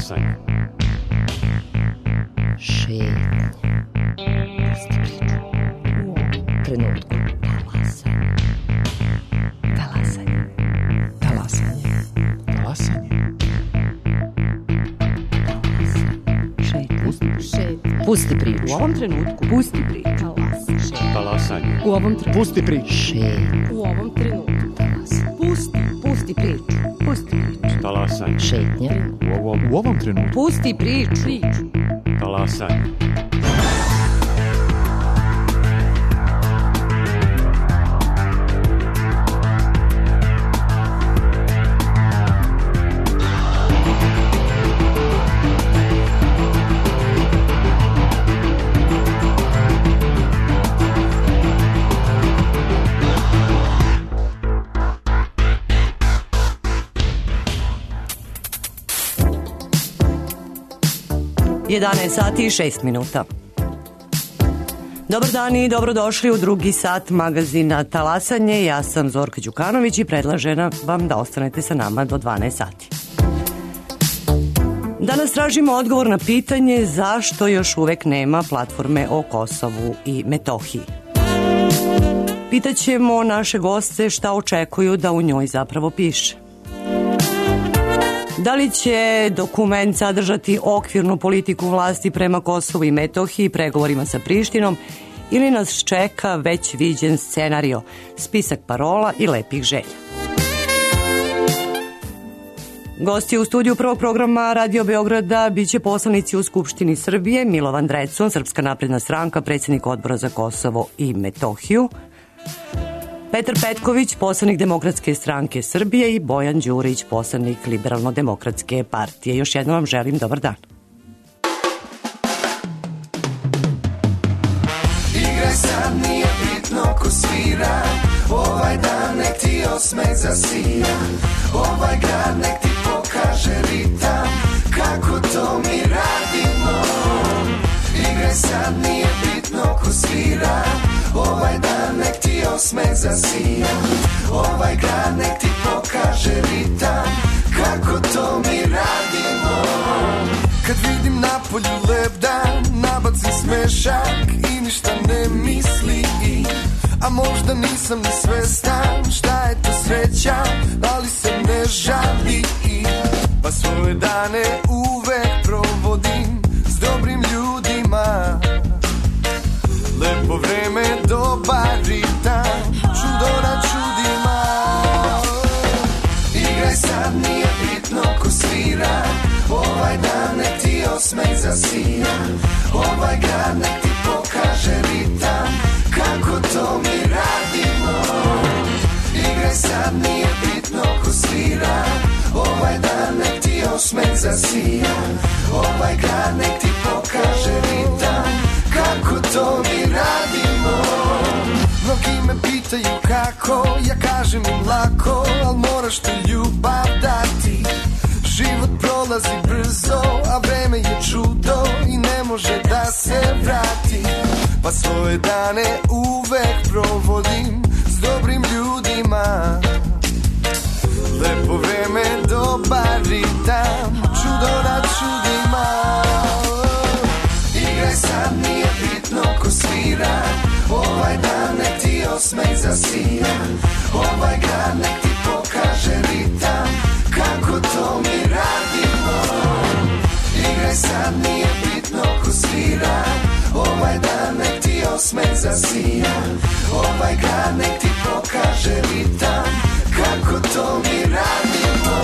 Talasanje. Šetnje. Pusti priču. U ovom trenutku. Talasanje. Talasanje. Talasanje. Pusti priču. U ovom trenutku. Pusti priču. Talasanje. U ovom trenutku. Pusti priču. Šetnje. U ovom trenutku. Pusti priču. Pusti priču. Talasanje. Šetnje. U ovom trenutku. Pusti priču. Talasanje. Sati i 6 minuta. Dobar dan i dobrodošli u drugi sat magazina Talasanje. Ja sam Zorka Đukanović i predlažem vam da ostanete sa nama do 12 sati. Danas tražimo odgovor na pitanje zašto još uvek nema platforme o Kosovu i Metohiji. Pitaćemo naše goste šta očekuju da u njoj zapravo piše. Da li će dokument sadržati okvirnu politiku vlasti prema Kosovu i Metohiji, pregovorima sa Prištinom, ili nas čeka već viđen scenario, spisak parola i lepih želja? Gosti u studiju prvog programa Radio Beograda biće poslanici u Skupštini Srbije, Milovan Drecun, Srpska napredna stranka, predsjednik Odbora za Kosovo i Metohiju, Petar Petković, poslanik Demokratske stranke Srbije, i Bojan Đurić, poslanik Liberalno-demokratske partije. Još jednom vam želim dobar dan. Igraj sad, nije bitno ko svira, ovaj dan nek ti osmeh zasija, ovaj grad nek ti pokaže ritam, kako to mi radimo. Igraj sad, nije bitno ko svira, ovaj dan nek ti osmeh zasija, ovaj grad nek ti pokaže ritam, kako to mi radimo. Kad vidim na polju lep dan, nabacim smešak i ništa ne misli, a možda nisam ni svestan šta je to sreća, ali se ne žali, pa svoje dane uvek provodim s dobrim ljudima. Lepo vreme, dobar ritam, čudo na čudima. Igraj sad, nije bitno ko svira, ovaj dan nek ti osmeh zasija, ovaj grad nek ti pokaže ritam, kako to mi radimo. Igraj sad, nije bitno ko svira, ovaj dan nek ti osmeh zasija, ovaj grad nek ti pokaže ritam, kako to mi radimo. Mnogi me pitaju kako, ja kažem im lako, al moraš ti ljubav dati. Život prolazi brzo, a vreme je čudo i ne može da se vrati, pa svoje dane uvek provodim s dobrim ljudima. Lepo vreme, dobar ritam, čudo na čudima. Igraj sad, nije bitno ko svira, ovaj dan nek ti osmeh zasija, ovaj grad nek ti pokaže ritam, kako to mi radimo. Igraj sad, nije bitno ko svira, ovaj dan nek ti osmeh zasija, ovaj grad nek ti pokaže ritam, kako to mi radimo.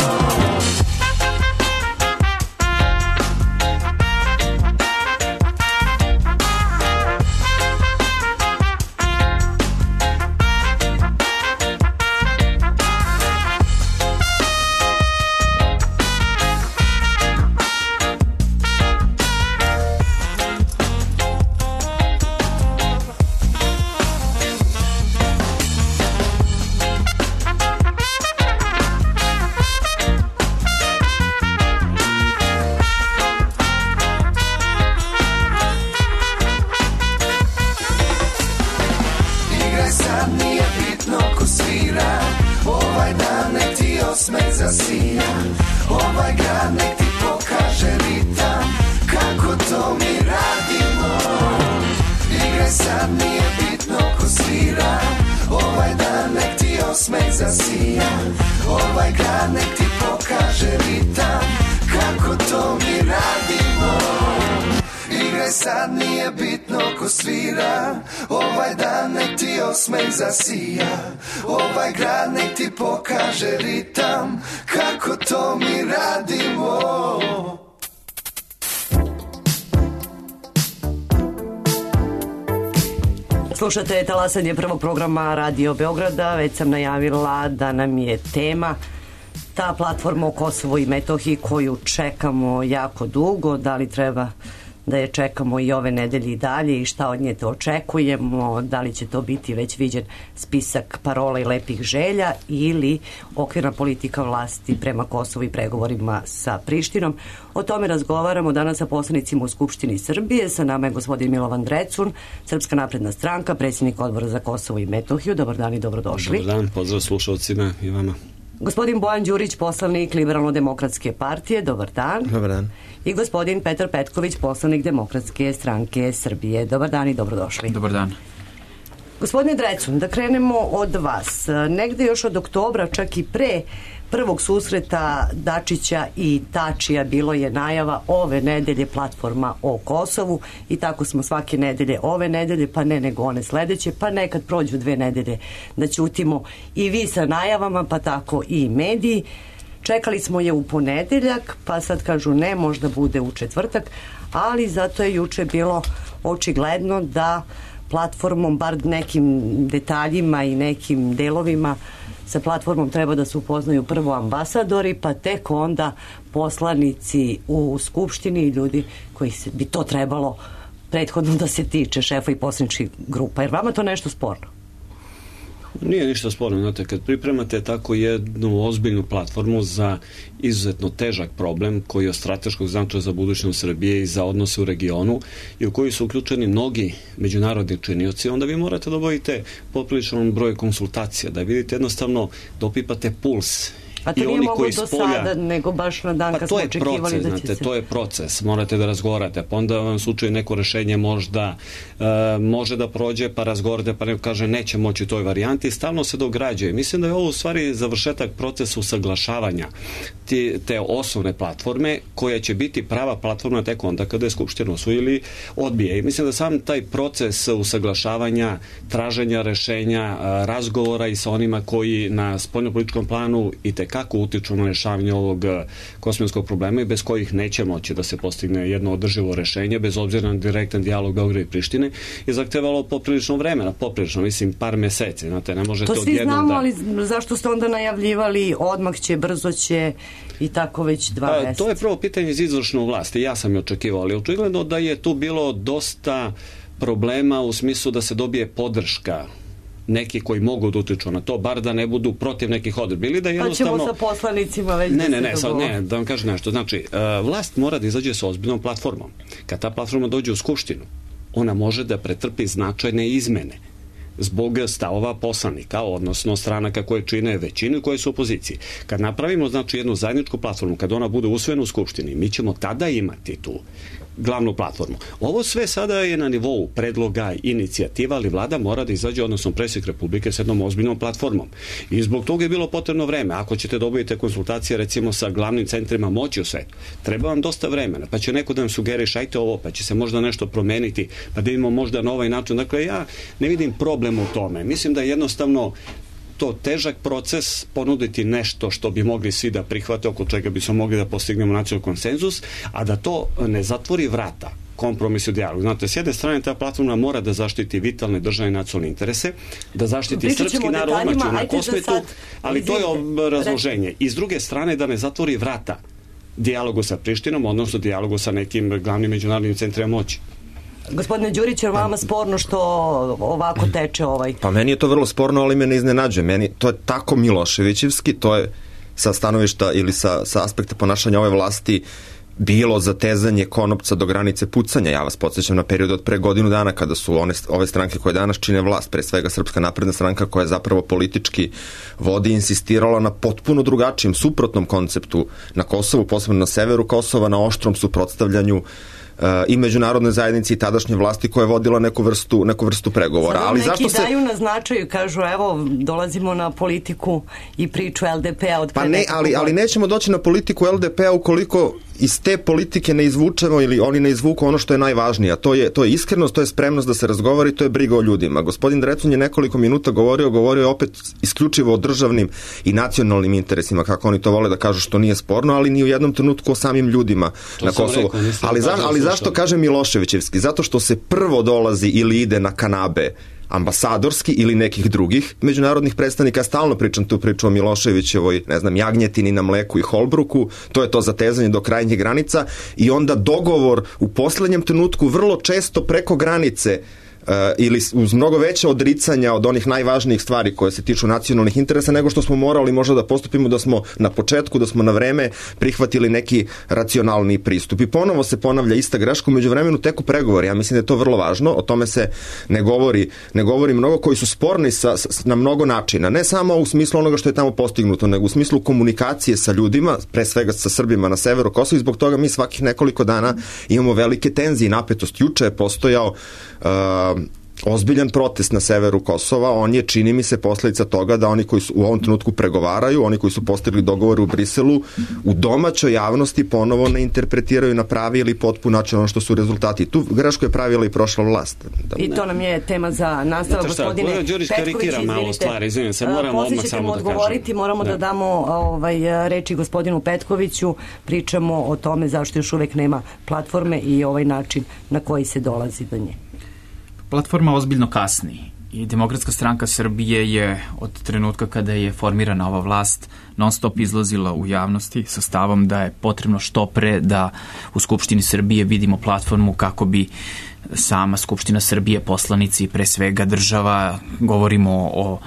Ovaj dan nek ti osmeh zasija, ovaj grad nek ti pokaže osmeh zasija. Ovaj grad nek ti pokaže ritam, kako to mi radimo. Igraj sad, nije bitno ko svira, ovaj dan nek ti osmeh zasija. Ovaj grad nek ti pokaže ritam, kako to mi radimo. Slušate talasanje prvog programa Radio Beograda. Već sam najavila da nam je tema ta platforma o Kosovu i Metohiji koju čekamo jako dugo. Da li treba da je čekamo i ove nedelje i dalje i šta od nje to očekujemo, da li će to biti već viđen spisak parola i lepih želja ili okvirna politika vlasti prema Kosovu i pregovorima sa Prištinom. O tome razgovaramo danas sa poslanicima u Skupštini Srbije. Sa nama je gospodin Milovan Drecun, Srpska napredna stranka, predsjednik Odbora za Kosovo i Metohiju. Dobar dan i dobrodošli. Dobar dan, pozdrav slušalcima i vama. Gospodin Bojan Đurić, poslanik Liberalno-demokratske partije. Dobar dan. Dobar dan. I gospodin Petar Petković, poslanik Demokratske stranke Srbije. Dobar dan i dobrodošli. Dobar dan. Gospodine Drecun, da krenemo od vas. Negde još od oktobra, čak i pre prvog susreta Dačića i Tačija bilo je najava ove nedelje platforma o Kosovu i tako smo svake nedelje, ove nedelje, pa ne nego one sledeće, pa nekad prođu 2 nedelje da ćutimo i vi sa najavama, pa tako i mediji. Čekali smo je u ponedeljak, pa sad kažu ne, možda bude u četvrtak, ali zato je juče bilo očigledno da platformom, bar nekim detaljima i nekim delovima, sa platformom treba da se upoznaju prvo ambasadori, pa tek onda poslanici u Skupštini i ljudi koji bi to trebalo prethodno da se tiče, šefa i poslaničkih grupa. Jer vama to nešto sporno? Nije ništa sporno, znate, kad pripremate tako jednu ozbiljnu platformu za izuzetno težak problem koji je od strateškog značaja za budućnost Srbije i za odnose u regionu i u koji su uključeni mnogi međunarodni činioci, onda vi morate da obavite popriličan broj konsultacija, da vidite jednostavno da opipate puls. A to nije moglo do sada, nego baš na dan kad smo očekivali da će se... To je proces, morate da razgovarate, pa onda vam slučaju neko rešenje možda može da prođe, pa razgovarate, pa neko kaže neće moći u toj varijanti, stalno se dograđuje. Mislim da je ovo u stvari završetak procesa usaglašavanja te osnovne platforme, koja će biti prava platforma tek onda kada je Skupština usvoji ili odbije. I mislim da sam taj proces usaglašavanja, traženja rešenja, razgovora i sa onima koji na spoljnopolitičkom planu i kako utiču na rešavanje ovog kosmijskog problema i bez kojih neće moći da se postigne jedno održivo rešenje, bez obzira na direktan dijalog Beograda i Prištine, je zahtevalo poprilično vremena, mislim par meseci, znate, ne možete to odjednom znamo, ali zašto ste onda najavljivali odmah će, brzo će i tako već 2 meseca? To je prvo pitanje iz izvršne vlasti, ja sam je očekivao, ali očigledno da je tu bilo dosta problema u smislu da se dobije podrška neki koji mogu da utiču na to, bar da ne budu protiv nekih odredbi. Ili da jednostavno... Pa ćemo sa poslanicima već Ne, da vam kažem nešto. Znači, vlast mora da izađe sa ozbiljnom platformom. Kad ta platforma dođe u Skupštinu, ona može da pretrpi značajne izmene zbog stavova poslanika, odnosno stranaka koje čine većinu i koje su u opoziciji. Kad napravimo, znači, jednu zajedničku platformu, kad ona bude usvojena u Skupštini, mi ćemo tada imati tu glavnu platformu. Ovo sve sada je na nivou predloga, inicijativa, ali vlada mora da izađe, odnosno predsjednik Republike, s jednom ozbiljnom platformom. I zbog toga je bilo potrebno vreme. Ako ćete dobiti konsultacije, recimo, sa glavnim centrima moći u svetu, treba vam dosta vremena, pa će neko da vam sugeriš, ajte ovo, pa će se možda nešto promeniti, pa da imamo možda na ovaj način. Dakle, ja ne vidim problem u tome. Mislim da je jednostavno to težak proces, ponuditi nešto što bi mogli svi da prihvate, oko čega bi smo mogli da postignemo nacionalni konsenzus, a da to ne zatvori vrata kompromis u dijalogu. Znate, s jedne strane ta platforma mora da zaštiti vitalne državne i nacionalne interese, da zaštiti srpski narod odmah na kosmetu, ali to je razloženje. I s druge strane da ne zatvori vrata dijalogu sa Prištinom, odnosno dijalogu sa nekim glavnim međunarodnim centrima moći. Gospodine Đurić, je vama sporno što ovako teče ovaj? Pa meni je to vrlo sporno, ali me ne iznenađuje. Meni to je tako Miloševićevski, to je sa stanovišta ili sa aspekta ponašanja ove vlasti bilo zatezanje konopca do granice pucanja. Ja vas podsjećam na period od pre godinu dana kada su ove stranke koje danas čine vlast, pre svega Srpska napredna stranka koja je zapravo politički vodi, insistirala na potpuno drugačijem, suprotnom konceptu na Kosovu, posebno na severu Kosova, na oštrom suprotstavljanju i međunarodne zajednice i tadašnje vlasti koja je vodila neku vrstu pregovora. Sada ali neki zašto daju na značaju, kažu evo dolazimo na politiku i priču LDP-a od pre ali nećemo doći na politiku LDP-a ukoliko iz te politike ne izvučemo ili oni ne izvuku ono što je najvažnije, a to je iskrenost, to je spremnost da se razgovori, to je briga o ljudima. Gospodin Drecun je nekoliko minuta govorio je opet isključivo o državnim i nacionalnim interesima, kako oni to vole da kažu, što nije sporno, ali ni u jednom trenutku o samim ljudima na Kosovu. Ali zašto kažem Miloševićevski? Zato što se prvo dolazi ili ide na kanabe ambasadorski ili nekih drugih međunarodnih predstavnika. Stalno pričam tu priču o Miloševićevoj, jagnjetini na mleku i Holbruku, to je to zatezanje do krajnjih granica i onda dogovor u poslednjem trenutku vrlo često preko granice ili uz mnogo veće odricanja od onih najvažnijih stvari koje se tiču nacionalnih interesa nego što smo morali možda da postupimo da smo na početku, da smo na vreme prihvatili neki racionalni pristup. I ponovo se ponavlja ista greška, umeđu vremenu teku pregovori. Ja mislim da je to vrlo važno, o tome se ne govori mnogo, koji su sporni na mnogo načina. Ne samo u smislu onoga što je tamo postignuto, nego u smislu komunikacije sa ljudima, pre svega sa Srbima na severu Kosova, i zbog toga mi svakih nekoliko dana imamo velike tenzije i napetost. Juče je postojao ozbiljan protest na severu Kosova. On je, čini mi se, posledica toga da oni koji su u ovom trenutku pregovaraju, oni koji su postigli dogovor u Briselu, u domaćoj javnosti ponovo ne interpretiraju na pravi ili potpun način ono što su rezultati. Tu grešku je pravila i prošla vlast. I to nam je tema za nastavak, gospodine Petković. Karikira malo stvari, izvinim se, moramo odmah samo da kažem. Moramo da damo reči gospodinu Petkoviću, pričamo o tome zašto još uvek nema platforme i ovaj način na koji se dolazi do nje. Platforma ozbiljno kasni i Demokratska stranka Srbije je od trenutka kada je formirana ova vlast non stop izlazila u javnosti sa stavom da je potrebno što pre da u Skupštini Srbije vidimo platformu kako bi sama Skupština Srbije, poslanici, pre svega država, govorimo o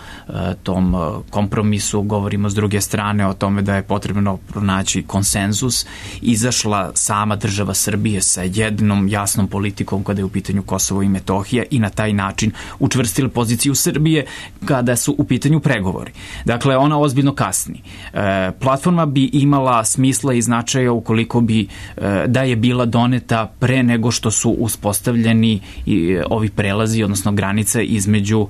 tom kompromisu, govorimo s druge strane o tome da je potrebno pronaći konsenzus, izašla sama država Srbije sa jednom jasnom politikom kada je u pitanju Kosovo i Metohija i na taj način učvrstila poziciju Srbije kada su u pitanju pregovori. Dakle, ona ozbiljno kasni. Platforma bi imala smisla i značaja ukoliko bi da je bila doneta pre nego što su uspostavljeni i ovi prelazi, odnosno granice između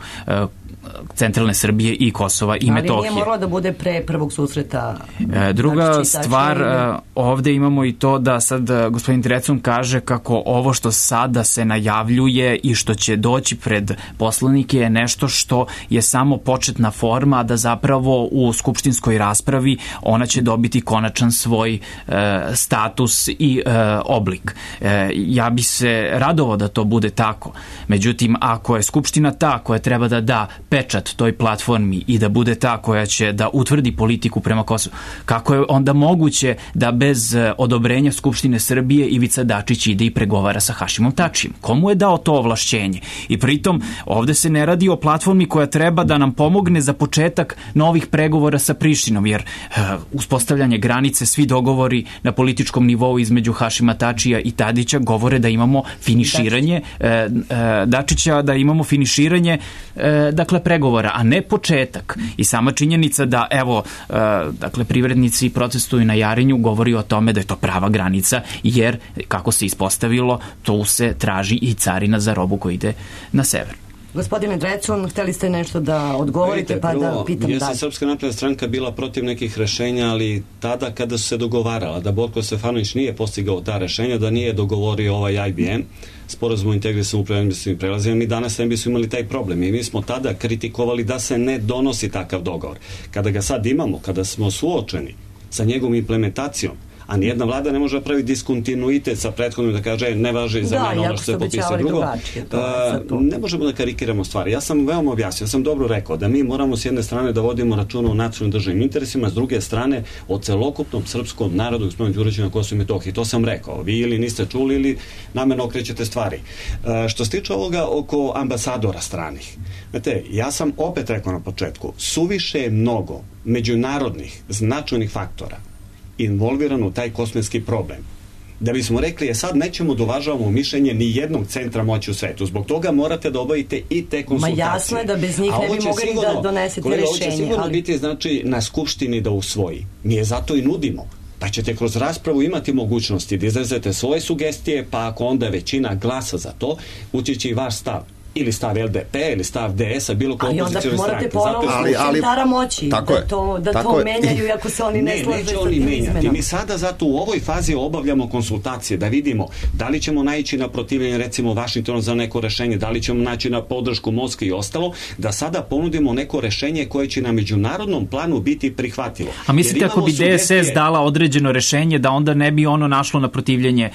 centralne Srbije i Kosova i Metohije. Ali nije moralo da bude pre prvog susreta. Druga stvar, ovde imamo i to da sad gospodin Drecun kaže kako ovo što sada se najavljuje i što će doći pred poslanike je nešto što je samo početna forma, a da zapravo u skupštinskoj raspravi ona će dobiti konačan svoj status i oblik. Ja bi se radovao da to bude tako. Međutim, ako je Skupština ta koja treba da da pečat toj platformi i da bude ta koja će da utvrdi politiku prema Kosovu, kako je onda moguće da bez odobrenja Skupštine Srbije Ivica Dačić ide i pregovara sa Hašimom Tačijem? Komu je dao to ovlašćenje? I pritom ovde se ne radi o platformi koja treba da nam pomogne za početak novih pregovora sa Prištinom, jer uspostavljanje granice, svi dogovori na političkom nivou između Hašima Tačija i Tadića govore da imamo finiširanje Dačića, da imamo finiširanje dakle pregovora, a ne početak. I sama činjenica da evo dakle privrednici protestuju na Jarinju govori o tome da je to prava granica, jer kako se ispostavilo tu se traži i carina za robu koja ide na sever. Gospodine Drecun, hteli ste nešto da odgovorite, pa da pitam dalje. Jeste Srpska napredna stranka bila protiv nekih rešenja, ali tada kada su se dogovarala, da Borko Stefanović nije postigao ta rešenja, da nije dogovorio ovaj IBM, sporazum o integrisanim upravljanjem prelazima, mi danas ne bismo imali taj problem. I mi smo tada kritikovali da se ne donosi takav dogovor. Kada ga sad imamo, kada smo suočeni sa njegovom implementacijom, a nijedna vlada ne može da pravi diskontinuitet sa prethodnim da kaže ne važi za mene ono što se popisuje drugo. Ne možemo da karikiramo stvari. Ja sam veoma objasnio, ja sam dobro rekao da mi moramo s jedne strane da vodimo računa o nacionalnim državnim interesima, s druge strane o celokupnom srpskom narodu gospodinu Đuriću na Kosovu i Metohiji. To sam rekao. Vi ili niste čuli ili namerno okrećete stvari. Što se tiče ovoga oko ambasadora stranih, znate, ja sam opet rekao na početku, suviše je mnogo međunarodnih značajnih faktora involvirano u taj kosmetski problem. Da bismo rekli, sad nećemo da uvažavamo mišljenje ni jednog centra moći u svetu. Zbog toga morate da obavite i te konsultacije. Ma jasno je da bez njih ne bi mogli da donesete rešenje. Ovo će sigurno biti, znači, na Skupštini da usvoji. Mi je zato i nudimo. pa ćete kroz raspravu imati mogućnosti da izrazite svoje sugestije, pa ako onda većina glasa za to, ući će i vaš stav. Ili stav LDP, ili stav DS-a, bilo koja opozicijona stranka. Ali onda morate ponovno centara moći da to menjaju, iako se oni ne slaže sa tim izmenama. Mi sada zato u ovoj fazi obavljamo konsultacije da vidimo da li ćemo naići na protivljenje recimo Vašingtonu za neko rešenje, da li ćemo naći na podršku Moskve i ostalo, da sada ponudimo neko rešenje koje će na međunarodnom planu biti prihvatljivo. A mislite ako bi DSS dala određeno rešenje da onda ne bi ono našlo na protivljenje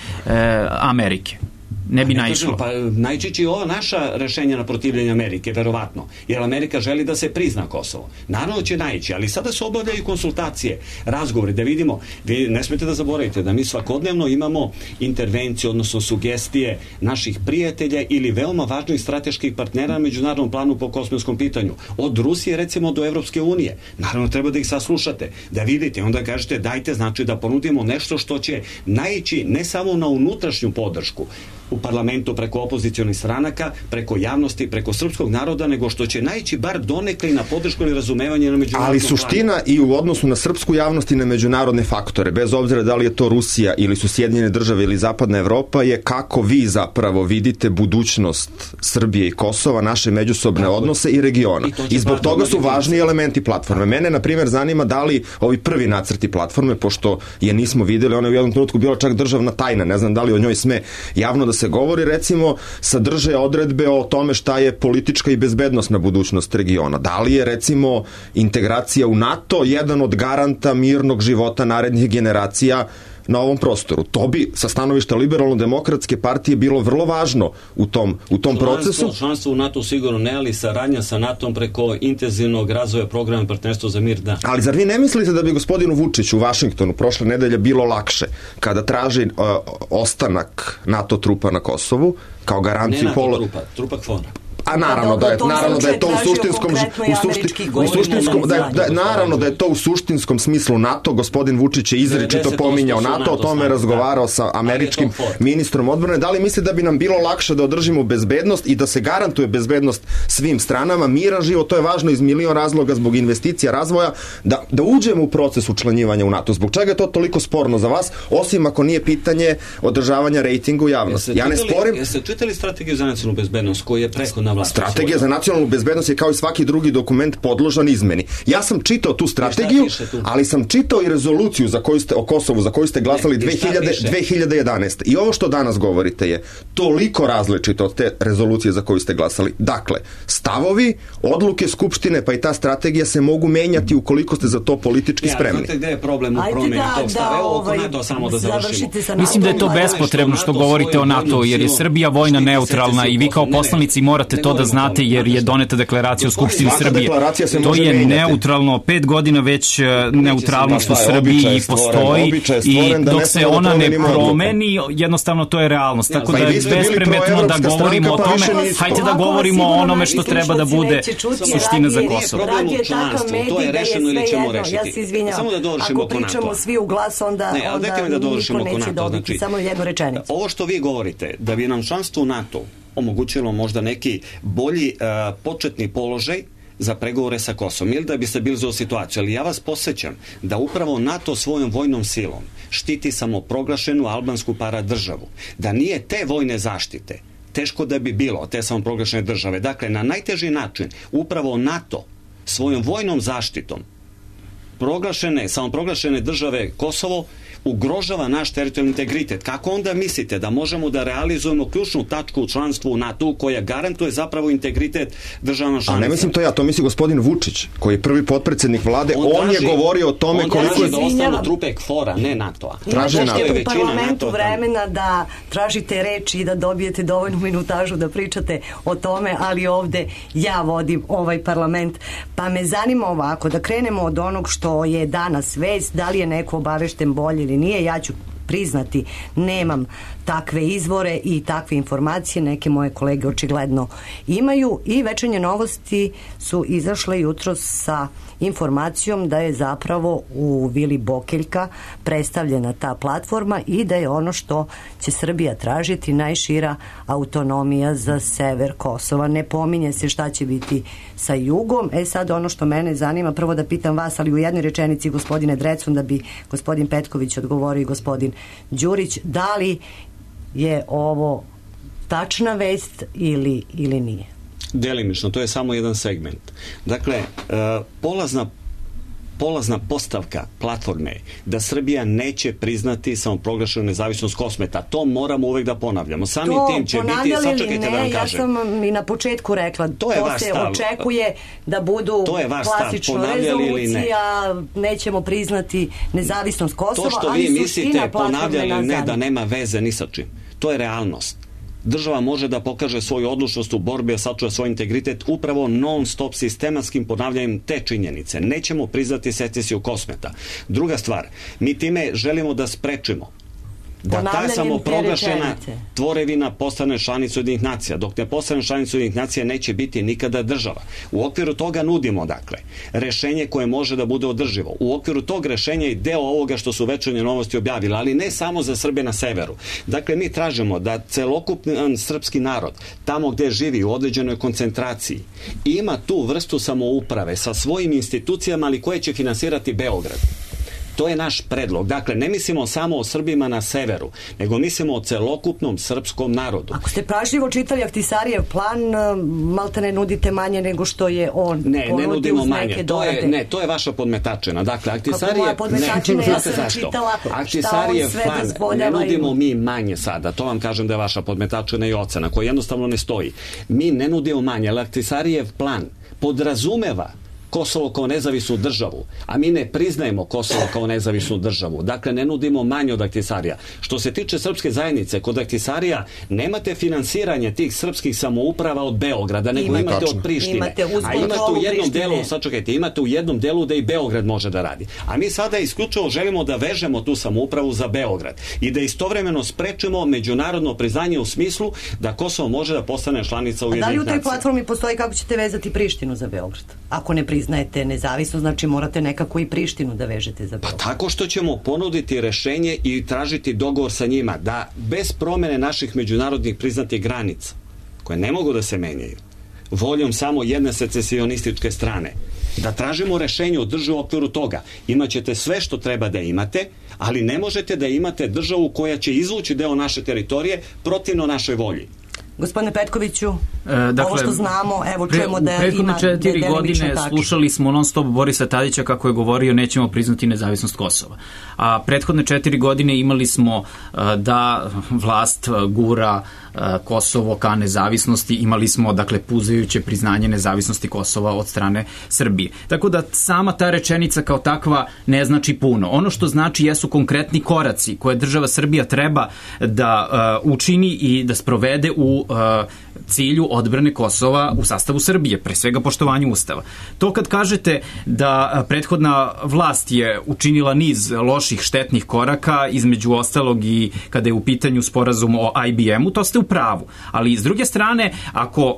Amerike? Ne bi naišlo. Pa naići će ova naša rešenja na protivljenje Amerike, verovatno. Jer Amerika želi da se prizna Kosovo. Naravno će naići, ali sada se obavljaju konsultacije, razgovori, da vidimo. Vi ne smete da zaboravite da mi svakodnevno imamo intervencije, odnosno sugestije naših prijatelja ili veoma važnih strateških partnera na međunarodnom planu po kosmijskom pitanju. Od Rusije, recimo, do Evropske unije. Naravno, treba da ih saslušate, da vidite, onda kažete dajte, znači da ponudimo nešto što će naići ne samo na unutrašnju podršku u parlamentu preko opozicionih stranaka, preko javnosti, preko srpskog naroda, nego što će naići bar donekle na podršku ili razumevanje na međunarodnom planu. Ali suština i u odnosu na srpsku javnost i na međunarodne faktore, bez obzira da li je to Rusija ili su Sjedinjene države ili Zapadna Evropa, je kako vi zapravo vidite budućnost Srbije i Kosova, naše međusobne odnose i regiona. I zbog toga su važni elementi platforme. Mene, na primjer, zanima da li ovi prvi nacrti platforme, pošto je nismo videli, ona je u jednom trenutku bila čak državna tajna, ne znam da li o njoj sme javno da se govori, recimo, sadrže odredbe o tome šta je politička i bezbednosna budućnost regiona. Da li je, recimo, integracija u NATO jedan od garanta mirnog života narednih generacija na ovom prostoru? To bi sa stanovišta Liberalno-demokratske partije bilo vrlo važno u tom procesu. Članstvo u NATO sigurno ne, ali saradnja sa NATO-om preko intenzivnog razvoja programa partnerstva za mir, da. Ali zar vi ne mislite da bi gospodinu Vučiću u Vašingtonu prošle nedelje bilo lakše kada traži ostanak NATO trupa na Kosovu kao garanciju... Ne NATO trupa KFOR-a. A naravno da je to u suštinskom smislu NATO. Gospodin Vučić je izričito pominjao NATO, o tome je razgovarao sa američkim ministrom odbrane. Da li misli da bi nam bilo lakše da održimo bezbednost i da se garantuje bezbednost svim stranama, miran život? To je važno iz milion razloga, zbog investicija, razvoja, da uđemo u proces učlanjivanja u NATO. Zbog čega je to toliko sporno za vas, osim ako nije pitanje održavanja rejtinga u javnosti? Ja ne sporim. Jeste čitali strategiju za nacionalnu bezbednost koji je prethodna vlast? Strategija za nacionalnu bezbednost je kao i svaki drugi dokument podložan izmeni. Ja sam čitao tu strategiju, ali sam čitao i rezoluciju o Kosovu za koju ste glasali 2011. I ovo što danas govorite je toliko različito od te rezolucije za koju ste glasali. Dakle, stavovi, odluke Skupštine pa i ta strategija se mogu menjati ukoliko ste za to politički spremni. Znate gde je problem u promjeni tog stava? Evo oko NATO samo da završimo. Mislim da je to bespotrebno što govorite o NATO, jer je Srbija vojno neutralna i vi kao poslanici morate to da znate, jer je doneta deklaracija u Skupštini Srbije. To je neutralno, 5 godina već neutralnost u Srbiji postoji i dok se ona ne promeni, jednostavno to je realnost. Tako da je bespredmetno da govorimo o tome. Hajde da govorimo o onome što treba da bude suština za Kosovo. To je rešeno ili ćemo rešiti. Ja se izvinjam. Ako pričamo svi u glas, onda niko neće dobiti. Samo jednu rečenicu. Ovo što vi govorite, da bi nam članstvo u NATO omogućilo možda neki bolji početni položaj za pregovore sa Kosovom ili da bi se bili za situaciju. Ali ja vas podsjećam da upravo NATO svojom vojnom silom štiti samoproglašenu albansku paradržavu. Da nije te vojne zaštite, teško da bi bilo te samoproglašene države. Dakle, na najteži način upravo NATO svojom vojnom zaštitom samoproglašene države Kosovo ugrožava naš teritorijalni integritet. Kako onda mislite da možemo da realizujemo ključnu tačku u članstvu u NATO koja garantuje zapravo integritet državama članica? A ne mislim to ja, to misli gospodin Vučić, koji je prvi potpredsednik vlade. On je govorio o tome koliko je... da ostanu trupe KFOR-a, ne NATO-a. Traže NATO. U parlamentu vremena da tražite reči i da dobijete dovoljnu minutažu da pričate o tome, ali ovde ja vodim ovaj parlament. Pa me zanima ovako, da krenemo od onog što je danas vest, da li je neko obavešten bolje ili nije. Ja ću priznati, nemam takve izvore i takve informacije, neke moje kolege očigledno imaju i Večernje novosti su izašle jutros sa informacijom da je zapravo u Vili Bokeljka predstavljena ta platforma i da je ono što će Srbija tražiti najšira autonomija za sever Kosova. Ne pominje se šta će biti sa jugom. Sad ono što mene zanima, prvo da pitam vas, ali u jednoj rečenici gospodine Drecun, da bi gospodin Petković odgovorio i gospodin Đurić, da li je ovo tačna vest ili nije? Delimično, to je samo jedan segment. Dakle, polazna postavka platforme je da Srbija neće priznati samoproglašenu nezavisnost Kosmeta. To moramo uvek da ponavljamo. Samim tim će biti, sačekajte da vam kažem. Ja sam i na početku rekla, to se očekuje da budu klasično rezolucija, nećemo priznati nezavisnost Kosova, to što vi mislite ponavljali ne, da nema veze ni sa čim. To je realnost. Država može da pokaže svoju odlučnost u borbi, a sačuva svoj integritet upravo non-stop sistematskim ponavljanjem te činjenice. Nećemo priznati secesiju Kosmeta. Druga stvar, mi time želimo da sprečimo da ta samoproglašena tvorevina postane članica Ujedinjenih nacija. Dok ne postane članica Ujedinjenih nacija neće biti nikada država. U okviru toga nudimo, dakle, rešenje koje može da bude održivo. U okviru tog rešenja i deo ovoga što su Večernje novosti objavili, ali ne samo za Srbe na severu. Dakle, mi tražimo da celokupan srpski narod, tamo gde živi u određenoj koncentraciji, ima tu vrstu samouprave sa svojim institucijama, ali koje će finansirati Beograd. To je naš predlog. Dakle, ne mislimo samo o Srbima na severu, nego mislimo o celokupnom srpskom narodu. Ako ste pažljivo čitali Ahtisarijev plan, malte ne nudite manje nego što je on ponudio uz neke dorade. To je vaša podmetačena. Dakle, Ahtisarijev... Kako moja podmetačena, ja sam čitala šta on sve dozvoljava. Ne nudimo mi manje sada. To vam kažem da je vaša podmetačena i ocena, koja jednostavno ne stoji. Mi ne nudimo manje, ali Ahtisarijev plan podrazumeva Kosovo kao nezavisnu državu, a mi ne priznajemo Kosovo kao nezavisnu državu. Dakle, ne nudimo manje od Ahtisarija. Što se tiče srpske zajednice, kod Ahtisarija nemate finansiranje tih srpskih samouprava od Beograda, nego imate od Prištine. A imate u jednom delu, sačekajte, imate u jednom delu da i Beograd može da radi. A mi sada isključivo želimo da vežemo tu samoupravu za Beograd i da istovremeno sprečimo međunarodno priznanje u smislu da Kosovo može da postane članica Ujedinjenih nacija. A da li u toj platformi postoji kako ćete vezati Prištinu za Beograd? Ako ne priznajete nezavisno, znači morate nekako i Prištinu da vežete za Beograd. Pa tako što ćemo ponuditi rešenje i tražiti dogovor sa njima da bez promene naših međunarodnih priznatih granica, koje ne mogu da se menjaju, voljom samo jedne secesionističke strane, da tražimo rešenje održivo u okviru toga. Imaćete sve što treba da imate, ali ne možete da imate državu koja će izvući deo naše teritorije protivno našoj volji. Gospodine Petkoviću, dakle, ovo što znamo, evo čujemo da ima... U prethodne 4 godine slušali smo non stop Borisa Tadića kako je govorio nećemo priznati nezavisnost Kosova. A prethodne 4 godine imali smo da vlast gura Kosovo ka nezavisnosti, imali smo, dakle, puzajuće priznanje nezavisnosti Kosova od strane Srbije. Tako da sama ta rečenica kao takva ne znači puno. Ono što znači jesu konkretni koraci koje država Srbija treba da učini i da sprovede u cilju odbrane Kosova u sastavu Srbije, pre svega poštovanju Ustava. To kad kažete da prethodna vlast je učinila niz loših, štetnih koraka, između ostalog i kada je u pitanju sporazum o IBM-u, to ste u pravu. Ali s druge strane, ako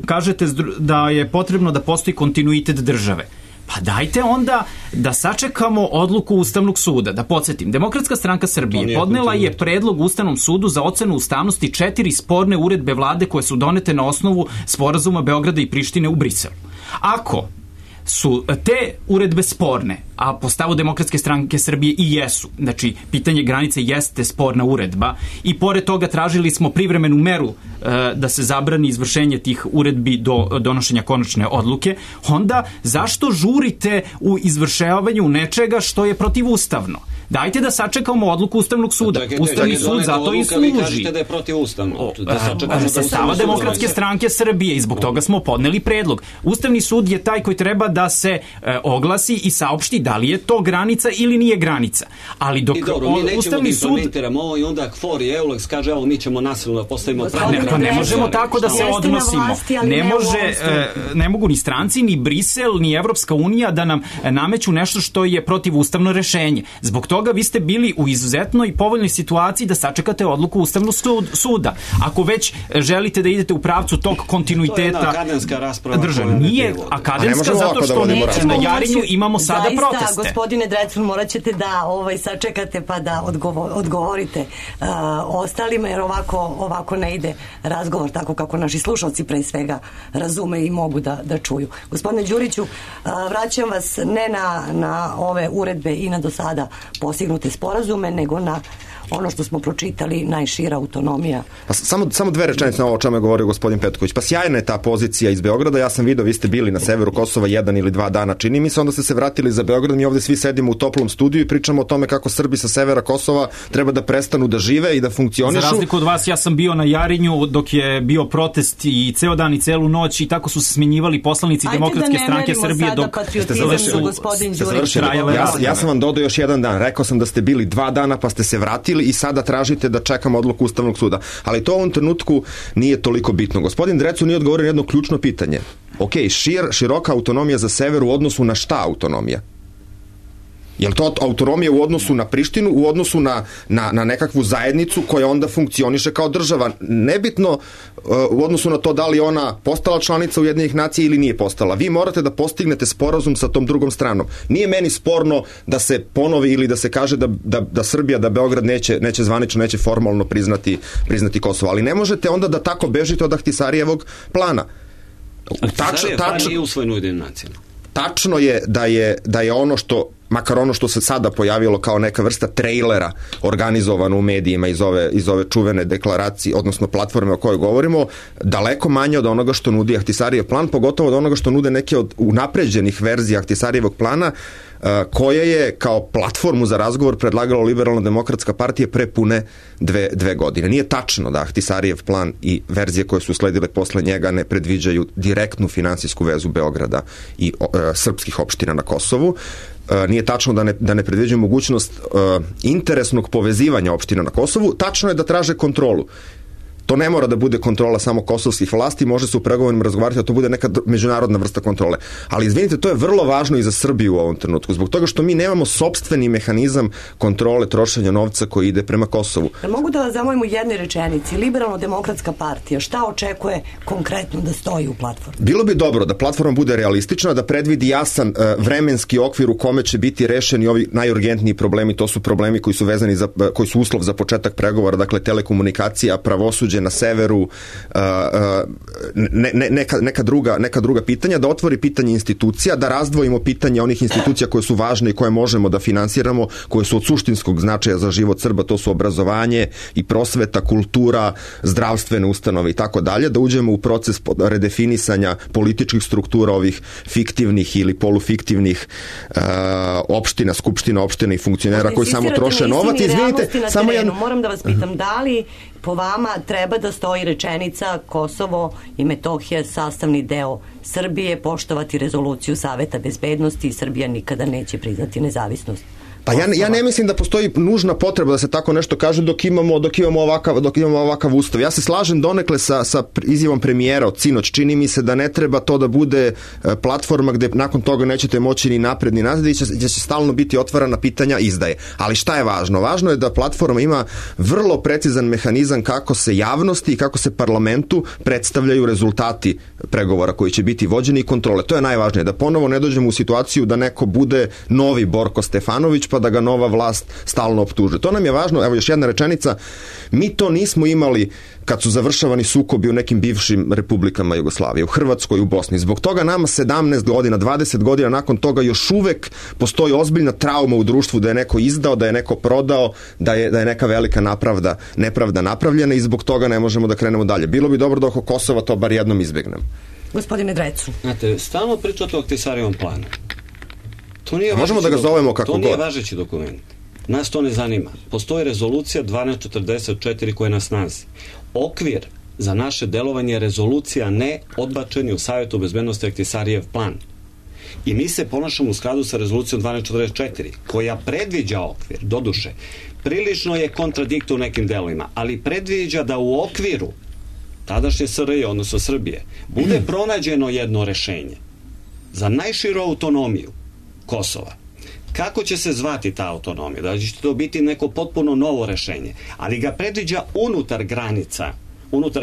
kažete da je potrebno da postoji kontinuitet države, pa dajte onda da sačekamo odluku Ustavnog suda. Da podsjetim, Demokratska stranka Srbije podnela je predlog Ustavnom sudu za ocenu ustavnosti 4 sporne uredbe vlade koje su donete na osnovu sporazuma Beograda i Prištine u Briselu. Ako su te uredbe sporne, a po stavu Demokratske stranke Srbije i jesu, znači pitanje granice jeste sporna uredba i pored toga tražili smo privremenu meru da se zabrani izvršenje tih uredbi do donošenja konačne odluke, onda zašto žurite u izvršavanju nečega što je protivustavno? Dajte da sačekamo odluku Ustavnog suda. Ustavni sud zato i služi. Vi kažete da je protivustavno. Sa stava Demokratske stranke Srbije i zbog toga smo podneli predlog. Ustavni sud je taj koji treba da se oglasi i saopšti da li je to granica ili nije granica. Ali dok Ustavni sud... Ovo i onda KFOR i EULEX kaže evo mi ćemo nasilno da postavimo... Ne možemo tako da se odnosimo. Ne mogu ni stranci, ni Brisel, ni Evropska unija da nam nameću nešto što je protivustavno rešenje. Zbog toga toga vi ste bili u izuzetnoj povoljnoj situaciji da sačekate odluku Ustavnog suda. Ako već želite da idete u pravcu tog kontinuiteta... To je jedna akademska rasprava. Države. Nije akademska zato što na Jarinju imamo sada proteste. Zaista, gospodine Drecun, morat ćete da sačekate pa da odgovorite ostalima, jer ovako ne ide razgovor tako kako naši slušalci pre svega razume i mogu da čuju. Gospodine Đuriću, vraćam vas ne na ove uredbe i na do sada postignute sporazume, nego na ono što smo pročitali, najšira autonomija. Samo dve rečenice na ovo o čemu je govorio gospodin Petković. Pa sjajna je ta pozicija iz Beograda, ja sam video, vi ste bili na severu Kosova 1 ili 2 dana, čini mi se, onda ste se vratili za Beograd, mi ovde svi sedimo u toplom studiju i pričamo o tome kako Srbi sa severa Kosova treba da prestanu da žive i da funkcionišu. Za razliku od vas, ja sam bio na Jarinju dok je bio protest i ceo dan i celu noć i tako su se smenjivali poslanici Demokratske stranke Srbije dok ste završili. Ja sam vam dodao još jedan dan, rekao sam da ste bili 2 dana pa ste se vratili i sada tražite da čekamo odluku Ustavnog suda. Ali to u ovom trenutku nije toliko bitno. Gospodin Drecun nije odgovorio na jedno ključno pitanje. Ok, široka autonomija za sever u odnosu na šta autonomija? Je li to autonomija u odnosu na Prištinu, u odnosu na nekakvu zajednicu koja onda funkcioniše kao država? Nebitno u odnosu na to da li ona postala članica Ujedinjenih nacija ili nije postala. Vi morate da postignete sporazum sa tom drugom stranom. Nije meni sporno da se ponovi ili da se kaže da Srbija, da Beograd neće zvanično, neće formalno priznati Kosovo. Ali ne možete onda da tako bežite od Ahtisarijevog plana. Ahtisarijev plan nije usvojen u Ujedinjenim nacijama. Tačno je da je ono što, makar ono što se sada pojavilo kao neka vrsta trejlera organizovano u medijima iz ove čuvene deklaracije, odnosno platforme o kojoj govorimo, daleko manje od onoga što nudi Ahtisarijev plan, pogotovo od onoga što nude neke od unapređenih verzija Ahtisarijevog plana, koje je kao platformu za razgovor predlagala Liberalno-demokratska partija pre pune 2 godine. Nije tačno da Ahtisarijev plan i verzije koje su sledile posle njega ne predviđaju direktnu finansijsku vezu Beograda i srpskih opština na Kosovu. Nije tačno da ne predviđaju mogućnost interesnog povezivanja opština na Kosovu. Tačno je da traže kontrolu. To ne mora da bude kontrola samo kosovskih vlasti, može se u pregovorima razgovarati da to bude neka međunarodna vrsta kontrole. Ali izvinite, to je vrlo važno i za Srbiju u ovom trenutku, zbog toga što mi nemamo sopstveni mehanizam kontrole trošenja novca koji ide prema Kosovu. Mogu da vas zamolim u jednoj rečenici, Liberalno-demokratska partija, šta očekuje konkretno da stoji u platformi? Bilo bi dobro da platforma bude realistična, da predvidi jasan vremenski okvir u kome će biti rešeni ovi najurgentniji problemi, to su problemi koji su vezani koji su uslov za početak pregovora, dakle telekomunikacija, pravosuđe na severu, neka druga pitanja, da otvori pitanje institucija, da razdvojimo pitanje onih institucija koje su važne i koje možemo da finansiramo, koje su od suštinskog značaja za život Srba, to su obrazovanje i prosveta, kultura, zdravstvene ustanove i tako dalje, da uđemo u proces redefinisanja političkih struktura ovih fiktivnih ili polufiktivnih opština, skupština opština i funkcionera koji samo troše novac. Izvinite, samo moram da vas pitam, da li po vama treba da stoji rečenica Kosovo i Metohija sastavni deo Srbije, poštovati rezoluciju Saveta bezbednosti i Srbija nikada neće priznati nezavisnost? Pa ja ne mislim da postoji nužna potreba da se tako nešto kaže dok imamo ovakav ustav. Ja se slažem donekle sa izjavom premijera od sinoć. Čini mi se da ne treba to da bude platforma gde nakon toga nećete moći ni napred ni nazad i će stalno biti otvarana pitanja izdaje. Ali šta je važno? Važno je da platforma ima vrlo precizan mehanizam kako se javnosti i kako se parlamentu predstavljaju rezultati pregovora koji će biti vođeni i kontrole. To je najvažnije. Da ponovo ne dođemo u situaciju da neko bude novi Borko Stefanović pa da ga nova vlast stalno optužuje. To nam je važno. Evo još jedna rečenica. Mi to nismo imali kad su završavani sukobi u nekim bivšim republikama Jugoslavije, u Hrvatskoj, u Bosni. Zbog toga nama 17 godina, 20 godina nakon toga još uvek postoji ozbiljna trauma u društvu da je neko izdao, da je neko prodao, da je neka velika nepravda napravljena i zbog toga ne možemo da krenemo dalje. Bilo bi dobro da oko Kosova to bar jednom izbegnemo. Gospodine Drecun. Znate, stalno pričate o Ahtisarijevom planu. Možemo da ga zovemo kako god. To nije važeći dokument. Nas to ne zanima. Postoji rezolucija 1244 koja je na snazi. Okvir za naše delovanje je rezolucija ne odbačeni u Savjetu bezbednosti Ahtisarijev plan. I mi se ponašamo u skladu sa rezolucijom 1244 koja predviđa okvir, doduše. Prilično je kontradiktor u nekim delovima, ali predviđa da u okviru tadašnje SRJ, odnosno Srbije, bude pronađeno jedno rešenje za najširu autonomiju Kosova. Kako će se zvati ta autonomija? Da će to biti neko potpuno novo rešenje, ali ga predviđa unutar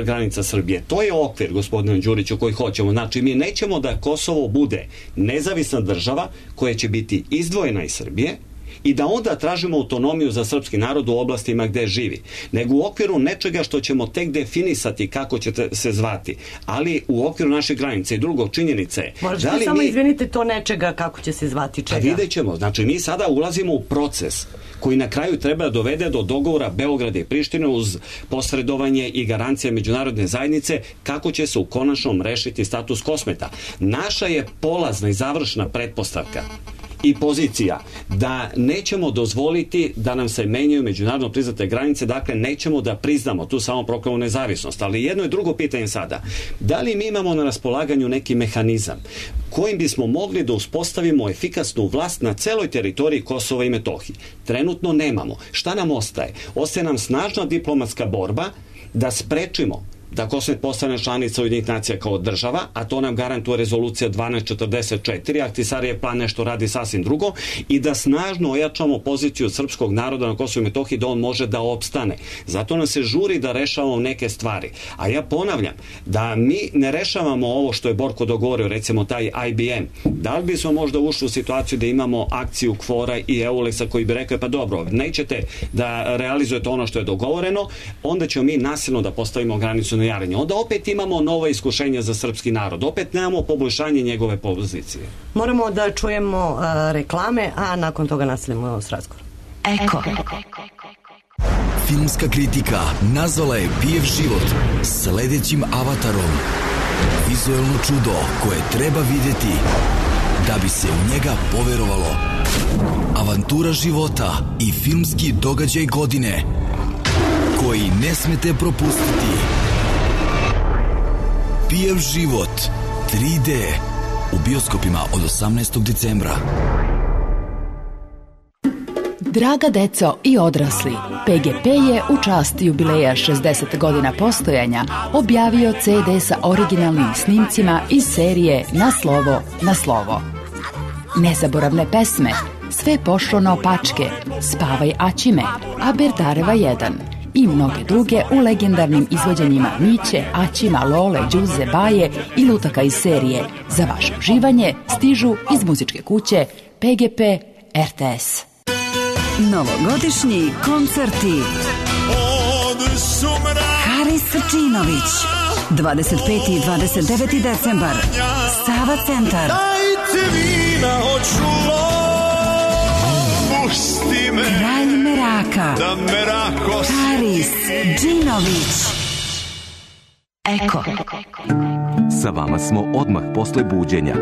granica Srbije. To je okvir, gospodine Đuriću, koji hoćemo. Znači, mi nećemo da Kosovo bude nezavisna država koja će biti izdvojena iz Srbije i da onda tražimo autonomiju za srpski narod u oblastima gde živi, nego u okviru nečega što ćemo tek definisati kako će se zvati, ali u okviru naše granice. I drugo, činjenica je... Možete samo izvinite to nečega kako će se zvati čega? A vidjet ćemo. Znači, mi sada ulazimo u proces koji na kraju treba da dovede do dogovora Beograda i Prištine uz posredovanje i garancije međunarodne zajednice kako će se u konačnom rešiti status Kosmeta. Naša je polazna i završna pretpostavka i pozicija da nećemo dozvoliti da nam se menjaju međunarodno priznate granice, dakle nećemo da priznamo tu samo proklamu nezavisnost. Ali jedno je drugo pitanje sada. Da li mi imamo na raspolaganju neki mehanizam kojim bismo mogli da uspostavimo efikasnu vlast na celoj teritoriji Kosova i Metohije? Trenutno nemamo. Šta nam ostaje? Ostaje nam snažna diplomatska borba da sprečimo da Kosmet postane članica Ujedinjenih nacija kao država, a to nam garantuje rezolucija 1244, Ahtisarijev plan nešto radi sasvim drugo, i da snažno ojačamo poziciju srpskog naroda na Kosovu i Metohiji da on može da opstane. Zato nam se žuri da rešavamo neke stvari. A ja ponavljam, da mi ne rešavamo ovo što je Borko dogovorio, recimo taj IBM. Da li bismo možda ušli u situaciju da imamo akciju KFOR-a i EULEX-a koji bi rekao, pa dobro, nećete da realizujete ono što je dogovoreno, onda ćemo mi nasilno da postavimo granicu na Jarinje. Onda opet imamo novo iskušenje za srpski narod. Opet nemamo poboljšanje njegove pozicije. Moramo da čujemo reklame, a nakon toga nastavljamo s razgovorom. Eko. Filmska kritika nazvala je Pijev život sledećim avatarom. Vizuelno čudo koje treba videti da bi se u njega poverovalo. Avantura života i filmski događaj godine koji ne smete propustiti. Pijev život 3D u bioskopima od 18. decembra. Draga deco i odrasli, PGP je u čast jubileja 60 godina postojanja objavio CD sa originalnim snimcima iz serije Na slovo, na slovo. Nezaboravne pesme, Sve pošlo naopačke, Spavaj Aćime, a Berdareva 1 i mnoge druge u legendarnim izvođenjima Miće, Aćima, Lole, Đuze, Baje i lutaka iz serije. Za vaše uživanje stižu iz muzičke kuće PGP RTS. Novogodišnji koncerti. Haris Srčinović, 25. i 29. decembar, Sava centar. Dajte vina, hoću pusti me. Kralj Meraka, da Merako Haris Džinović. Eko. Sa vama smo odmah posle buđenja.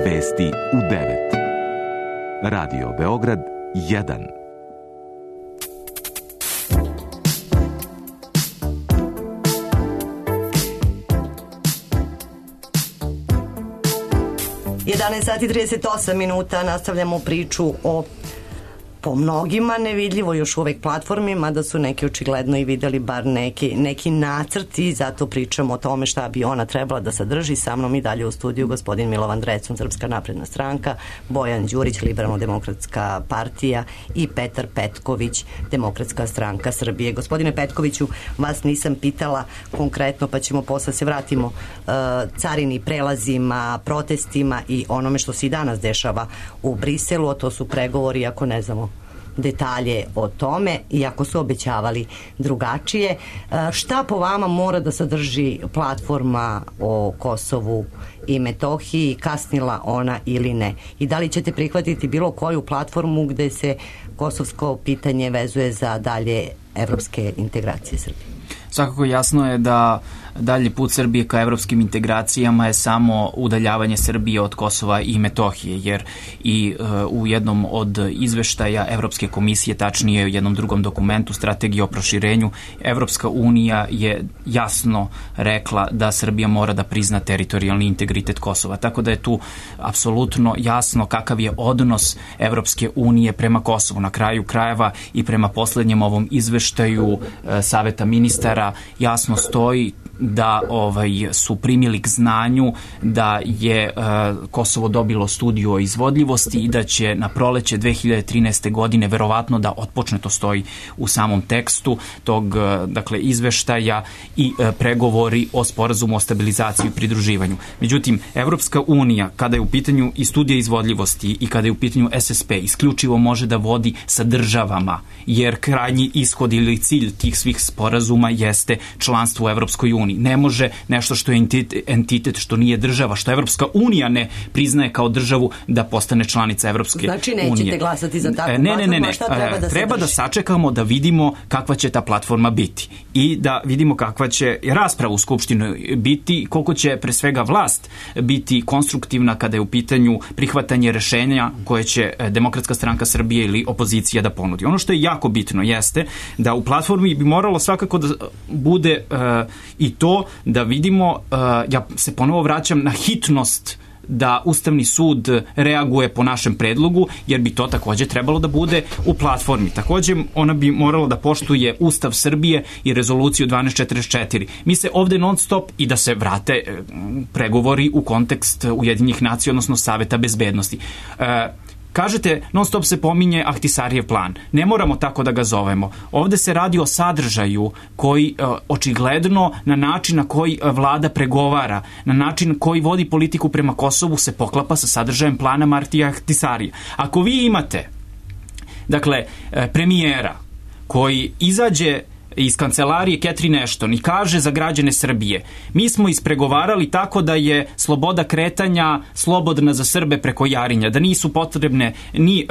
Vesti u 9. Radio Beograd 1. Sati 38 minuta, nastavljamo priču o po mnogima nevidljivo još uvek platformi, mada su neki očigledno i videli bar neki nacrti, zato pričamo o tome šta bi ona trebala da sadrži. Sa mnom i dalje u studiju gospodin Milovan Drecun, Srpska napredna stranka, Bojan Đurić, Liberalno-demokratska partija i Petar Petković, Demokratska stranka Srbije. Gospodine Petkoviću, vas nisam pitala konkretno, pa ćemo posle se vratimo carini, prelazima, protestima i onome što se i danas dešava u Briselu, a to su pregovori, ako ne znamo detalje o tome, iako su obećavali drugačije. Šta po vama mora da sadrži platforma o Kosovu i Metohiji, kasnila ona ili ne? I da li ćete prihvatiti bilo koju platformu gde se kosovsko pitanje vezuje za dalje evropske integracije Srbije? Svakako jasno je da dalji put Srbije ka evropskim integracijama je samo udaljavanje Srbije od Kosova i Metohije, jer i u jednom od izveštaja Evropske komisije, tačnije u jednom drugom dokumentu, strategije o proširenju, Evropska unija je jasno rekla da Srbija mora da prizna teritorijalni integritet Kosova. Tako da je tu apsolutno jasno kakav je odnos Evropske unije prema Kosovu. Na kraju krajeva i prema poslednjem ovom izveštaju Saveta ministara jasno stoji da su primili k znanju da je Kosovo dobilo studiju o izvodljivosti i da će na proleće 2013. godine verovatno da otpočne, to stoji u samom tekstu tog izveštaja, i pregovori o sporazumu o stabilizaciji i pridruživanju. Međutim, Evropska unija, kada je u pitanju i studija izvodljivosti i kada je u pitanju SSP, isključivo može da vodi sa državama, jer krajnji ishod ili cilj tih svih sporazuma jeste članstvo u Evropskoj uniji. Ne može nešto što je entitet, što nije država, što Evropska unija ne priznaje kao državu, da postane članica Evropske unije. Znači nećete glasati za takvu platformu, a šta treba da se treba da sačekamo da vidimo kakva će ta platforma biti i da vidimo kakva će rasprava u Skupštinu biti, koliko će pre svega vlast biti konstruktivna kada je u pitanju prihvatanje rešenja koje će Demokratska stranka Srbije ili opozicija da ponudi. Ono što je jako bitno jeste da u platformi bi moralo svakako da bude i to da vidimo, ja se ponovo vraćam na hitnost da Ustavni sud reaguje po našem predlogu, jer bi to takođe trebalo da bude u platformi. Takođe, ona bi morala da poštuje Ustav Srbije i rezoluciju 1244. Mi se ovde non stop, i da se vrate pregovori u kontekst Ujedinjenih nacija, odnosno Saveta bezbednosti. Kažete, non stop se pominje Ahtisarijev plan. Ne moramo tako da ga zovemo. Ovde se radi o sadržaju koji očigledno na način na koji vlada pregovara, na način koji vodi politiku prema Kosovu se poklapa sa sadržajem plana Martija Ahtisarija. Ako vi imate, premijera koji izađe iz kancelarije Catherine Ashton i kaže za građane Srbije: mi smo ispregovarali tako da je sloboda kretanja slobodna za Srbe preko Jarinja, da nisu potrebne ni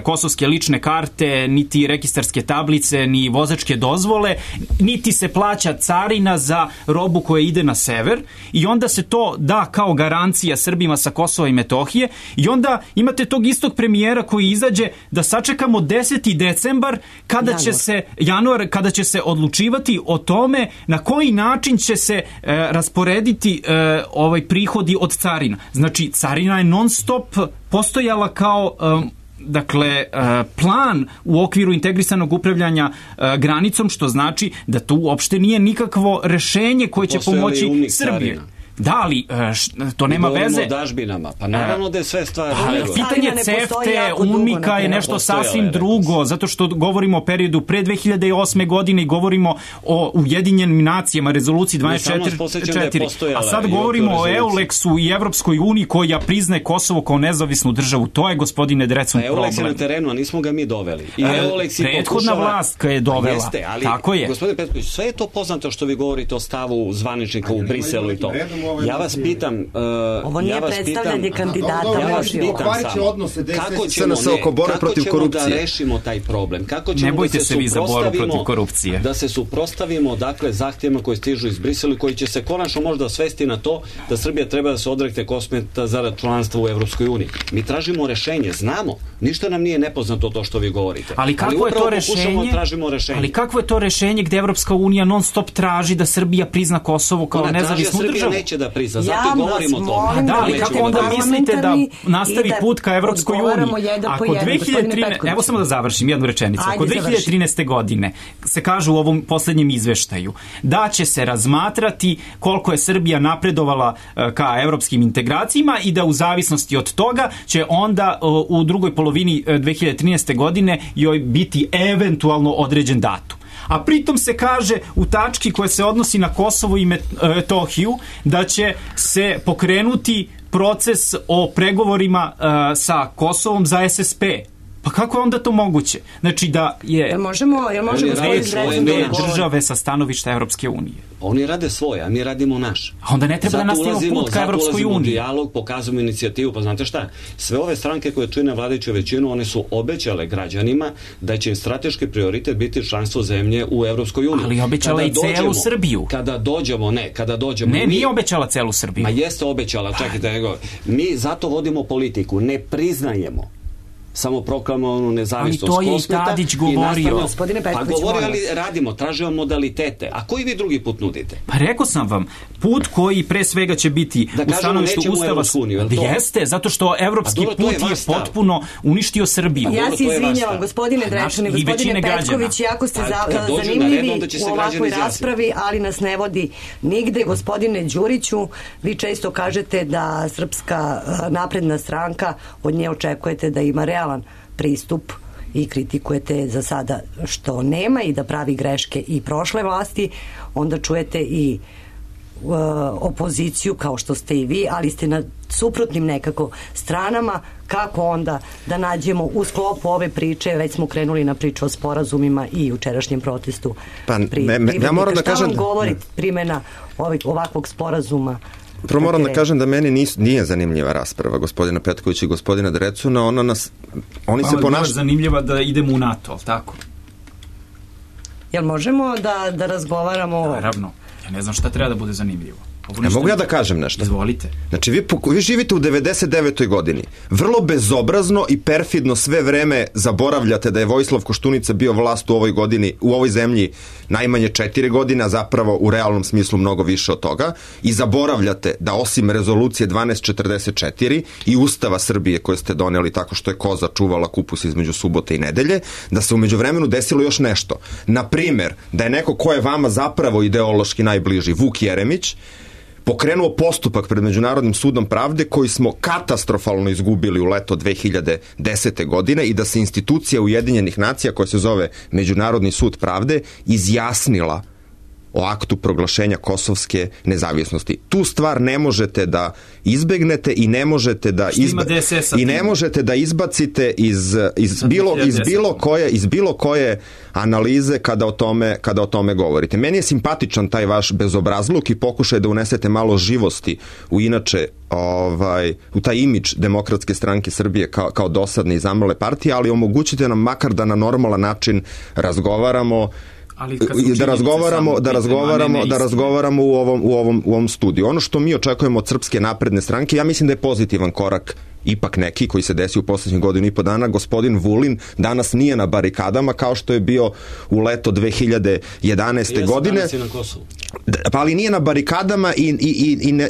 kosovske lične karte, niti registarske tablice, ni vozačke dozvole, niti se plaća carina za robu koja ide na sever, i onda se to da kao garancija Srbima sa Kosova i Metohije, i onda imate tog istog premijera koji izađe da sačekamo 10. decembar kada će se odlučivati o tome na koji način će se rasporediti prihodi od carina. Znači, carina je non stop postojala kao plan u okviru integrisanog upravljanja granicom, što znači da to uopšte nije nikakvo rešenje koje će pomoći Srbiji. Da, ali to nema veze. Govorimo o dažbinama, pa naravno da je sve stvar. Pitanje CEFTE, UNMIKA je nešto sasvim drugo, zato što govorimo o periodu pre 2008. godine i govorimo o Ujedinjenim nacijama, rezoluciji 1244, a sad govorimo o EULEX-u i Evropskoj uniji koja priznaje Kosovo kao nezavisnu državu. To je, gospodine Drecun, problem. EULEX je na terenu, a nismo ga mi doveli. Prethodna vlast koja je dovela. Jeste, ali, tako je. Gospodine Petković, sve je to poznato što vi govorite o stavu zvaničnika u Briselu i to. Ja vas pitam... Ovo nije predstavljanje kandidata. Ja vas pitam samo, kako ćemo da rešimo taj problem? Kako ćemo da se suprotstavimo zahtjevima koji stižu iz Brisela, koji će se konačno možda svesti na to da Srbija treba da se odrekne Kosmeta zarad članstva u Evropskoj uniji. Mi tražimo rešenje, znamo. Ništa nam nije nepoznato to što vi govorite. Ali kakvo je to rešenje? Ali kakvo je to rešenje gde Evropska unija non stop traži da Srbija prizna Kosovo kao nezavisnu državu? Srbija neće da prizna, zato govorimo o tome. Da, ali kako onda mislite da nastavi put ka Evropskoj uniji? Ako 2013, evo samo da završim jednu rečenicu. Ako 2013. godine se kaže u ovom poslednjem izveštaju da će se razmatrati koliko je Srbija napredovala ka evropskim integracijama i da u zavisnosti od toga će onda u drugoj polovini 2013. godine joj biti eventualno određen datum. A pritom se kaže u tački koja se odnosi na Kosovo i Metohiju da će se pokrenuti proces o pregovorima sa Kosovom za SSP. Pa kako je onda to moguće? Znači da je države sa stanovišta Evropske unije. Oni rade svoje, a mi radimo naš. A onda ne treba da nastavimo put ka Evropskoj uniji. U dijalog, pokazujemo inicijativu, pa znate šta? Sve ove stranke koje čine vladajuću većinu, one su obećale građanima da će im strateški prioritet biti članstvo zemlje u Evropskoj uniji. Ali obećala i celu Srbiju. Kada dođemo. Ne, nije obećala celu Srbiju. Ma jeste obećala, čekajte, mi zato vodimo politiku, ne priznajemo samoproklamovanu nezavisnost Ali to je i Kosmeta Tadić govorio. Gospodine Petković, pa govorio, molim ali radimo, tražimo modalitete. A koji vi drugi put nudite? Pa rekao sam vam, put koji pre svega će biti u stanovištu Ustava. Jeste, zato što evropski put je potpuno uništio Srbiju. Ja se izvinjavam, gospodine Drečan i gospodine Petković, jako ste zanimljivi u ovakvoj raspravi, ali nas ne vodi nigde. Gospodine Đuriću, vi često kažete da Srpska napredna stranka, od nje očekujete da ima realan pristup i kritikujete za sada što nema i da pravi greške i prošle vlasti, onda čujete i opoziciju kao što ste i vi, ali ste na suprotnim nekako stranama. Kako onda da nađemo u sklopu ove priče, već smo krenuli na priču o sporazumima i jučerašnjem protestu. Ja moram da kažem... Šta vam govori primjena ovakvog sporazuma? Prvo moram da kažem da meni nije zanimljiva rasprava gospodina Petkovića i gospodina Drecuna. Oni se ponašaju... zanimljiva da idemo u NATO, ali tako? Jel možemo da razgovaramo... Naravno. Ja ne znam šta treba da bude zanimljivo. Mogu ja da kažem nešto? Izvolite. Znači, vi živite u 99. godini. Vrlo bezobrazno i perfidno sve vreme zaboravljate da je Vojislav Koštunica bio vlast u ovoj godini, u ovoj zemlji najmanje 4 godine, a zapravo u realnom smislu mnogo više od toga. I zaboravljate da osim rezolucije 1244 i Ustava Srbije koje ste doneli tako što je koza čuvala kupus između subote i nedelje, da se u međuvremenu desilo još nešto. Na primer, da je neko ko je vama zapravo ideološki najbliži, Vuk Jeremić, pokrenuo postupak pred Međunarodnim sudom pravde koji smo katastrofalno izgubili u leto 2010. godine i da se institucija Ujedinjenih nacija koja se zove Međunarodni sud pravde izjasnila o aktu proglašenja kosovske nezavisnosti. Tu stvar ne možete da izbegnete i ne možete da izbacite iz bilo koje analize kada o tome govorite. Meni je simpatičan taj vaš bezobrazluk i pokušaj da unesete malo živosti u taj imidž Demokratske stranke Srbije kao dosadne i zamrle partije, ali omogućite nam makar da na normalan način razgovaramo da razgovaramo u ovom studiju. Ono što mi očekujemo od Srpske napredne stranke, ja mislim da je pozitivan korak ipak neki koji se desi u poslednjih godinu i po dana. Gospodin Vulin danas nije na barikadama kao što je bio u leto 2011. godine. Pa ali nije na barikadama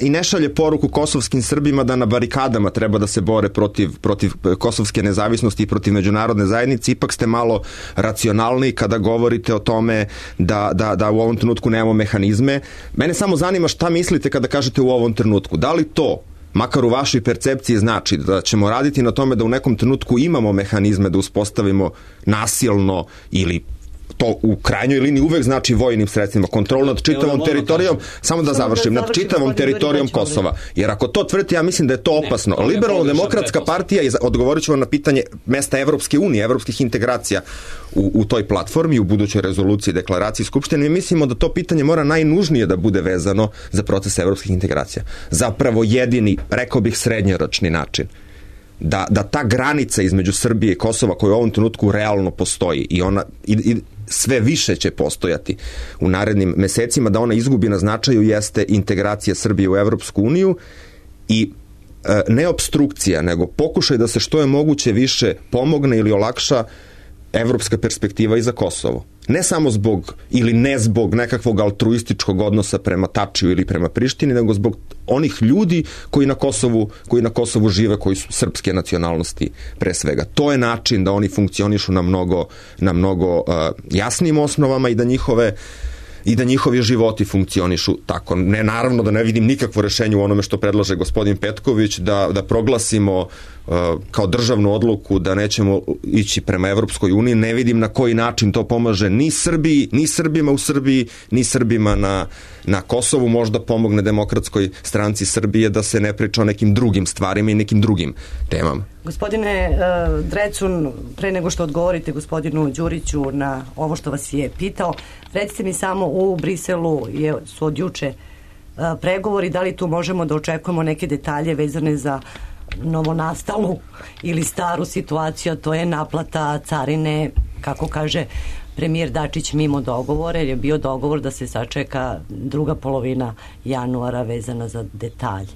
i ne šalje poruku kosovskim Srbima da na barikadama treba da se bore protiv kosovske nezavisnosti i protiv međunarodne zajednice. Ipak ste malo racionalni kada govorite o tome da u ovom trenutku nemamo mehanizme. Mene samo zanima šta mislite kada kažete u ovom trenutku. Da li to makar u vašoj percepciji znači da ćemo raditi na tome da u nekom trenutku imamo mehanizme da uspostavimo nasilno ili to u krajnjoj liniji uvek znači vojnim sredstvima, kontrol nad čitavom teritorijom, samo da završim, nad čitavom teritorijom Kosova. Jer ako to tvrdite, ja mislim da je to opasno. Liberalno-demokratska partija, i odgovorit ću vam na pitanje mesta Evropske unije, evropskih integracija u toj platformi, u budućoj rezoluciji, deklaraciji Skupštine, mi mislimo da to pitanje mora najnužnije da bude vezano za proces evropskih integracija. Zapravo jedini, rekao bih, srednjoročni način da ta granica između Srbije i Kosova koja u ovom trenutku realno postoji i ona sve više će postojati u narednim mesecima, da ona izgubi na značaju, jeste integracija Srbije u Evropsku uniju i ne opstrukcija, nego pokušaj da se što je moguće više pomogne ili olakša evropska perspektiva i za Kosovo. Ne samo zbog ili ne zbog nekakvog altruističkog odnosa prema Tačiju ili prema Prištini, nego zbog onih ljudi koji na Kosovu žive, koji su srpske nacionalnosti pre svega. To je način da oni funkcionišu na mnogo jasnim osnovama i da njihovi životi funkcionišu tako. Ne, naravno da ne vidim nikakvo rešenje u onome što predlaže gospodin Petković, da proglasimo kao državnu odluku da nećemo ići prema Evropskoj uniji. Ne vidim na koji način to pomaže ni Srbiji, ni Srbima u Srbiji, ni Srbima na Kosovu. Možda pomogne Demokratskoj stranci Srbije da se ne priča o nekim drugim stvarima i nekim drugim temama. Gospodine Drecun, pre nego što odgovorite gospodinu Đuriću na ovo što vas je pitao, recite mi samo, u Briselu su od juče pregovori, da li tu možemo da očekujemo neke detalje vezane za novonastalu ili staru situaciju, a to je naplata carine, kako kaže premijer Dačić, mimo dogovora, jer je bio dogovor da se sačeka druga polovina januara vezana za detalje.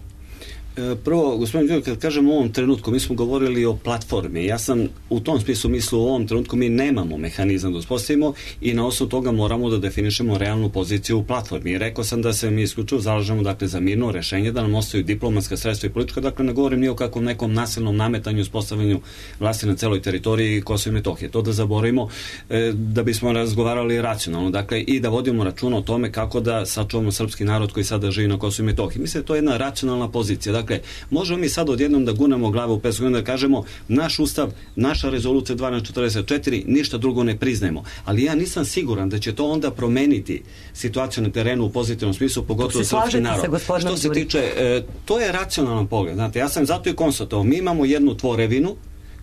Prvo, gospodin Đurić, kad kažem u ovom trenutku, mi smo govorili o platformi. Ja sam u tom smislu mislio u ovom trenutku mi nemamo mehanizam da uspostavimo i na osnovu toga moramo da definišemo realnu poziciju u platformi. I rekao sam da se mi isključivo zalažemo dakle, za mirno rešenje, da nam ostaju diplomatska sredstva i politička, dakle ne govorim ni o kakvom nekom nasilnom nametanju i uspostavljanju vlasti na celoj teritoriji Kosova i Metohije. To da zaboravimo da bismo razgovarali racionalno, dakle i da vodimo računa o tome kako da sačuvamo srpski narod koji sada živi na Kosovu i Metohiji. Mislim da to je jedna racionalna pozicija. Dakle, možemo mi sad odjednom da gunemo glavu u pesku i da kažemo naš ustav, naša rezolucija 1244, ništa drugo ne priznajemo. Ali ja nisam siguran da će to onda promeniti situaciju na terenu u pozitivnom smislu, pogotovo srpski narod. Što se tiče, to je racionalan pogled. Znate, ja sam zato i konstatovao, mi imamo jednu tvorevinu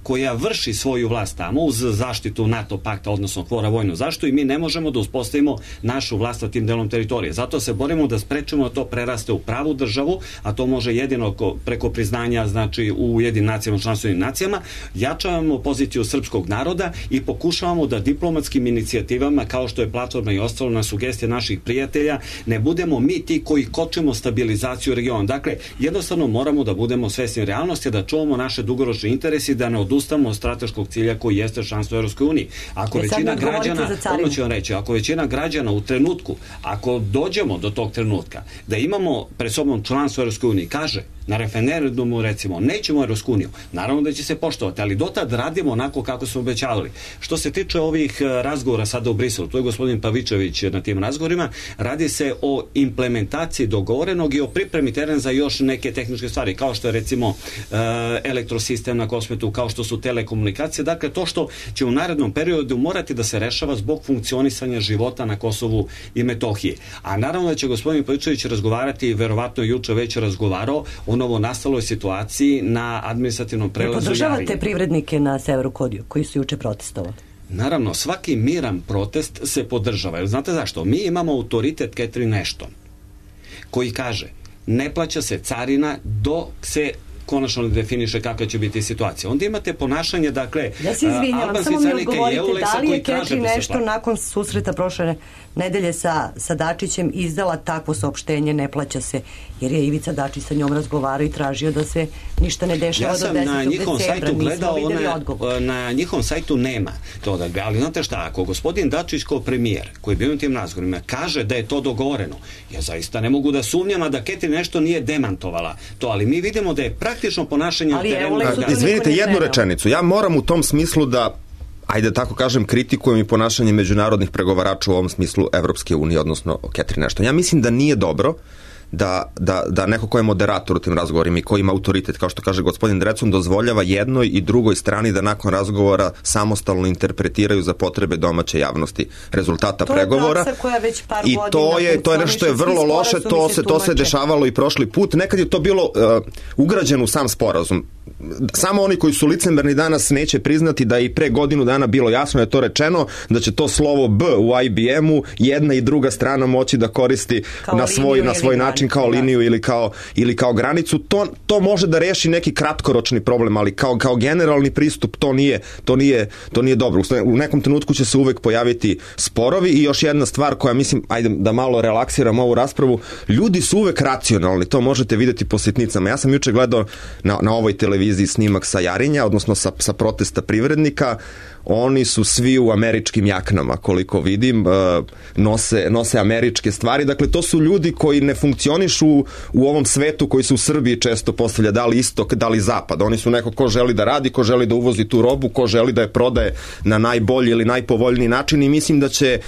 koja vrši svoju vlast tamo uz zaštitu NATO pakta, odnosno kvora vojnu zaštitu i mi ne možemo da uspostavimo našu vlast na tim delom teritorije. Zato se borimo da sprečimo da to preraste u pravu državu, a to može jedino preko priznanja, znači u Ujedinim nacijama, članstvenim nacijama, jačavamo poziciju srpskog naroda i pokušavamo da diplomatskim inicijativama, kao što je platforma i ostalo na sugestije naših prijatelja, ne budemo mi ti koji kočimo stabilizaciju regiona. Dakle, jednostavno moramo da budemo svesni realnosti, da čuvamo naše dugoročne interese i da ne odustamo od strateškog cilja koji jeste članstvo u Europskoj uniji. Ako većina građana, ono ću vam reći, ako većina građana u trenutku, ako dođemo do tog trenutka, da imamo pred sobom članstvo u Europskoj uniji, kaže na referendumu recimo, nećemo u Europsku uniju, naravno da će se poštovati, ali dotad radimo onako kako smo obećavali. Što se tiče ovih razgovora sada u Briselu, to je gospodin Pavičević na tim razgovorima, radi se o implementaciji dogovorenog i o pripremi terena za još neke tehničke stvari, kao što je recimo elektrosistem na Kosmetu, kao što su telekomunikacije, dakle to što će u narednom periodu morati da se rešava zbog funkcionisanja života na Kosovu i Metohiji. A naravno da će gospodin Pavičević razgovarati, verovatno juče već razgovarao o novo nastaloj situaciji na administrativnom prelazu Jarinje. Podržavate privrednike na Severu koji su juče protestovali? Naravno, svaki miran protest se podržava. Jer znate zašto? Mi imamo autoritet Catherine Ashton koji kaže ne plaća se carina dok se konačno definiše kakva će biti situacija. Onda imate ponašanje, dakle, ja se izvinjavam, samo mi odgovorite, da li je Catherine Ashton nakon susreta prošle nedelje sa Dačićem izdala takvo saopštenje, ne plaća se, jer je Ivica Dačić sa njom razgovarao i tražio da se ništa ne dešava do 10. decembra. Ja sam na njihovom sajtu gledao, na njihovom sajtu nema to da, ali znate šta, ako gospodin Dačić kao premijer, koji je bio na tim razgovorima, kaže da je to dogovoreno, ja zaista ne mogu da sumnjam, a da Catherine nešto nije demantovala to, ali mi vidimo da je praktično ponašanje na terenu. Izvinite, jednu rečenicu. Ja moram u tom smislu da, ajde tako kažem, kritikujem i ponašanje međunarodnih pregovarača u ovom smislu Evropske unije, odnosno Catherine Ashton. Ja mislim da nije dobro da neko ko je moderator u tim razgovorima i ko ima autoritet, kao što kaže gospodin Drecun, dozvoljava jednoj i drugoj strani da nakon razgovora samostalno interpretiraju za potrebe domaće javnosti rezultata pregovora. To je praksa koja već par i godina. To je nešto što je vrlo loše, to se dešavalo i prošli put. Nekad je to bilo ugrađeno u sam sporazum. Samo oni koji su licemerni danas neće priznati da je i pre godinu dana bilo jasno da je to rečeno, da će to slovo B u IBM-u jedna i druga strana moći da koristi na svoj način kao liniju ili kao granicu. To može da reši neki kratkoročni problem, ali kao generalni pristup to nije dobro. U nekom trenutku će se uvek pojaviti sporovi i još jedna stvar koja mislim, ajde da malo relaksiram ovu raspravu, ljudi su uvek racionalni, to možete vidjeti po sitnicama. Ja sam juče gledao na ovoj televiziji snimak sa Jarinja, odnosno sa protesta privrednika. Oni su svi u američkim jaknama, koliko vidim, nose američke stvari. Dakle, to su ljudi koji ne funkcionišu u ovom svetu koji se u Srbiji često postavlja, da li istok, da li zapad. Oni su neko ko želi da radi, ko želi da uvozi tu robu, ko želi da je prodaje na najbolji ili najpovoljniji način i mislim da će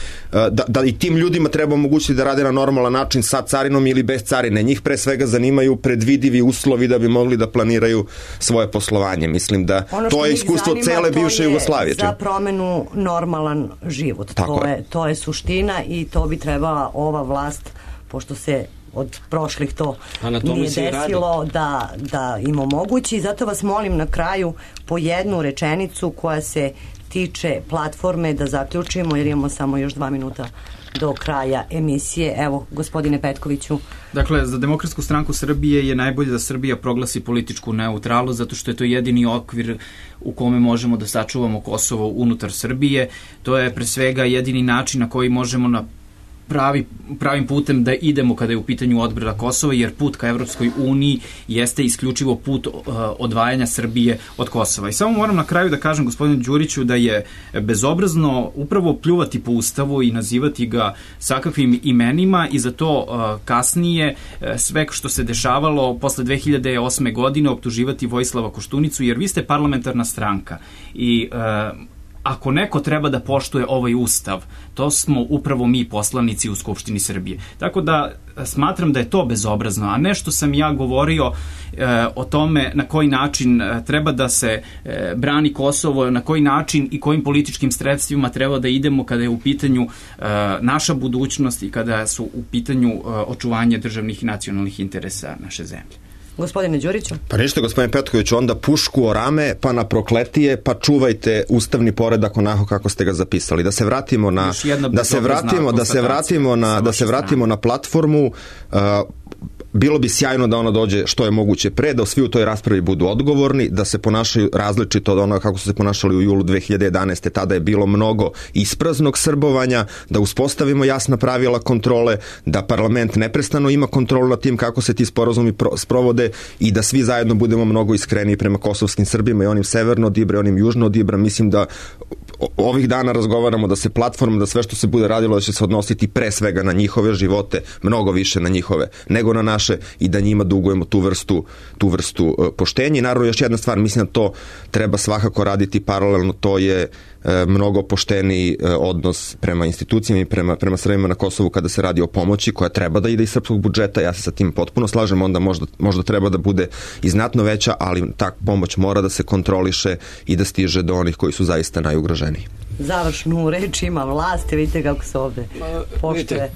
da i tim ljudima treba omogućiti da rade na normalan način sa carinom ili bez carine. Njih pre svega zanimaju predvidivi uslovi da bi mogli da planiraju svoje poslovanje. Mislim da to je iskustvo cele bivše Jugoslavije. Za promenu normalan život. To je suština i to bi trebala ova vlast, pošto se od prošlih to nije desilo, da im omogući. Zato vas molim na kraju po jednu rečenicu koja se tiče platforme da zaključimo, jer imamo samo još 2 minuta do kraja emisije. Evo, gospodine Petkoviću. Dakle, za Demokratsku stranku Srbije je najbolje da Srbija proglasi političku neutralnost, zato što je to jedini okvir u kome možemo da sačuvamo Kosovo unutar Srbije. To je pre svega jedini način na koji možemo na pravim putem da idemo kada je u pitanju odbrana Kosova, jer put ka Evropskoj uniji jeste isključivo put odvajanja Srbije od Kosova. I samo moram na kraju da kažem gospodinu Đuriću da je bezobrazno upravo pljuvati po Ustavu i nazivati ga sakakvim imenima i za to kasnije sve što se dešavalo posle 2008. godine optuživati Vojislava Koštunicu, jer vi ste parlamentarna stranka i ako neko treba da poštuje ovaj ustav, to smo upravo mi poslanici u Skupštini Srbije. Tako da smatram da je to bezobrazno, a ne što sam ja govorio o tome na koji način treba da se brani Kosovo, na koji način i kojim političkim sredstvima treba da idemo kada je u pitanju naša budućnost i kada su u pitanju očuvanje državnih i nacionalnih interesa naše zemlje. Gospodine Đuriću? Pa ništa, gospodine Petkoviću, onda pušku o rame, pa na prokletije, pa čuvajte ustavni poredak onako kako ste ga zapisali. Da se vratimo na platformu. Bilo bi sjajno da ona dođe što je moguće pre, da svi u toj raspravi budu odgovorni, da se ponašaju različito od onoga kako su se ponašali u julu 2011. Tada je bilo mnogo ispraznog srbovanja, da uspostavimo jasna pravila kontrole, da parlament neprestano ima kontrolu nad tim kako se ti sporazumi sprovode i da svi zajedno budemo mnogo iskreniji prema kosovskim Srbima i onim severno od Ibra i onim južno od Ibra. Mislim da ovih dana razgovaramo da se platforma, da sve što se bude radilo da će se odnositi pre svega na njihove živote, mnogo više na njihove nego na naše i da njima dugujemo tu vrstu poštenja. I naravno još jedna stvar, mislim da to treba svakako raditi paralelno, to je mnogo pošteniji odnos prema institucijama i prema Srbima na Kosovu kada se radi o pomoći koja treba da ide iz srpskog budžeta. Ja se sa tim potpuno slažem, onda možda treba da bude i znatno veća, ali ta pomoć mora da se kontroliše i da stiže do onih koji su zaista najugroženiji. Završnu reč ima vlast, vidite kako se ovde poštuje.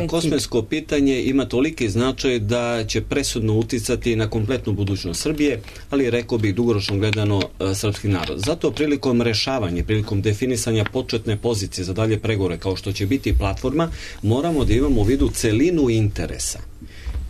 Kosmetsko pitanje ima toliki značaj da će presudno uticati na kompletnu budućnost Srbije, ali rekao bih dugoročno gledano srpski narod. Zato prilikom rešavanja, prilikom definisanja početne pozicije za dalje pregovore, kao što će biti platforma, moramo da imamo u vidu celinu interesa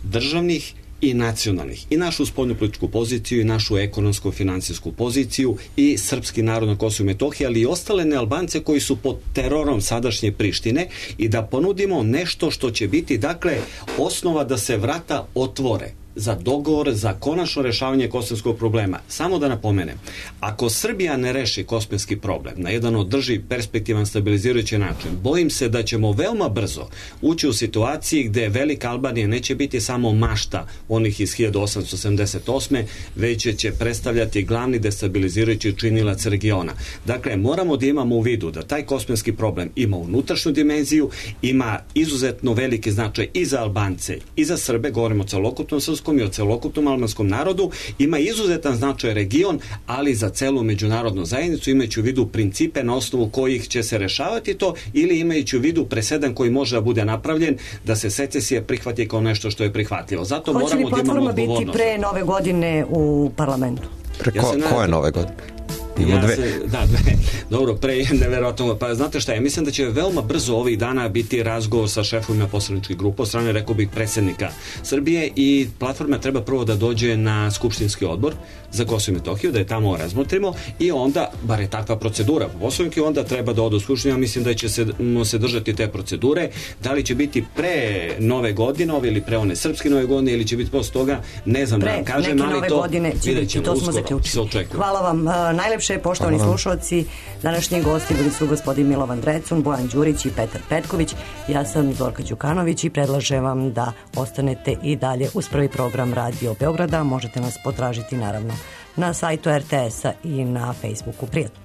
državnih i nacionalnih, i našu spoljnu političku poziciju, i našu ekonomsko-finansijsku poziciju, i srpski narod na Kosovu i Metohiji, ali i ostale nealbance koji su pod terorom sadašnje Prištine, i da ponudimo nešto što će biti, dakle, osnova da se vrata otvore za dogovor, za konačno rešavanje kosovskog problema. Samo da napomenem, ako Srbija ne reši kosovski problem na jedan održiv, perspektivan, stabilizirajući način, bojim se da ćemo veoma brzo ući u situaciji gde Velika Albanija neće biti samo mašta onih iz 1878. već će predstavljati glavni destabilizirajući činilac regiona. Dakle, moramo da imamo u vidu da taj kosovski problem ima unutrašnju dimenziju, ima izuzetno veliki značaj i za Albance i za Srbe, govorimo o celokupnom srpskom i o celokupnom albanskom narodu, ima izuzetan značaj region, ali za celu međunarodnu zajednicu, imajući u vidu principe na osnovu kojih će se rešavati to, ili imajući u vidu presedan koji može da bude napravljen da se secesija prihvati kao nešto što je prihvatljivo. Zato moramo da imamo odgovornost. Hoće li platforma biti pre nove godine u parlamentu? Koje nove godine? Dobro, pre je neverovatno. Pa znate šta, ja mislim da će veoma brzo ovih dana biti razgovor sa šefovima poslaničkih grupa od strane, rekao bih, predsjednika Srbije, i platforma treba prvo da dođe na skupštinski odbor za Kosovo i Metohiju, da je tamo razmotrimo, i onda, bar je takva procedura po Poslovniku, onda treba da odu u skupštinu. Ja mislim da će se držati te procedure. Da li će biti pre nove godine ili pre one srpske nove godine, ili će biti posle toga, ne znam da kažem, ali to vidjet ćemo, uskoro se očekuje. Hvala vam najlepše, poštovani slušalci. Današnji gosti bili su gospodin Milovan Drecun, Bojan Đurić i Petar Petković. Ja sam Zorka Đukanović i predlažem vam da ostanete i dalje uz prvi program Radio Beograda. Možete nas potražiti naravno na sajtu RTS-a i na Facebooku. Prijatno.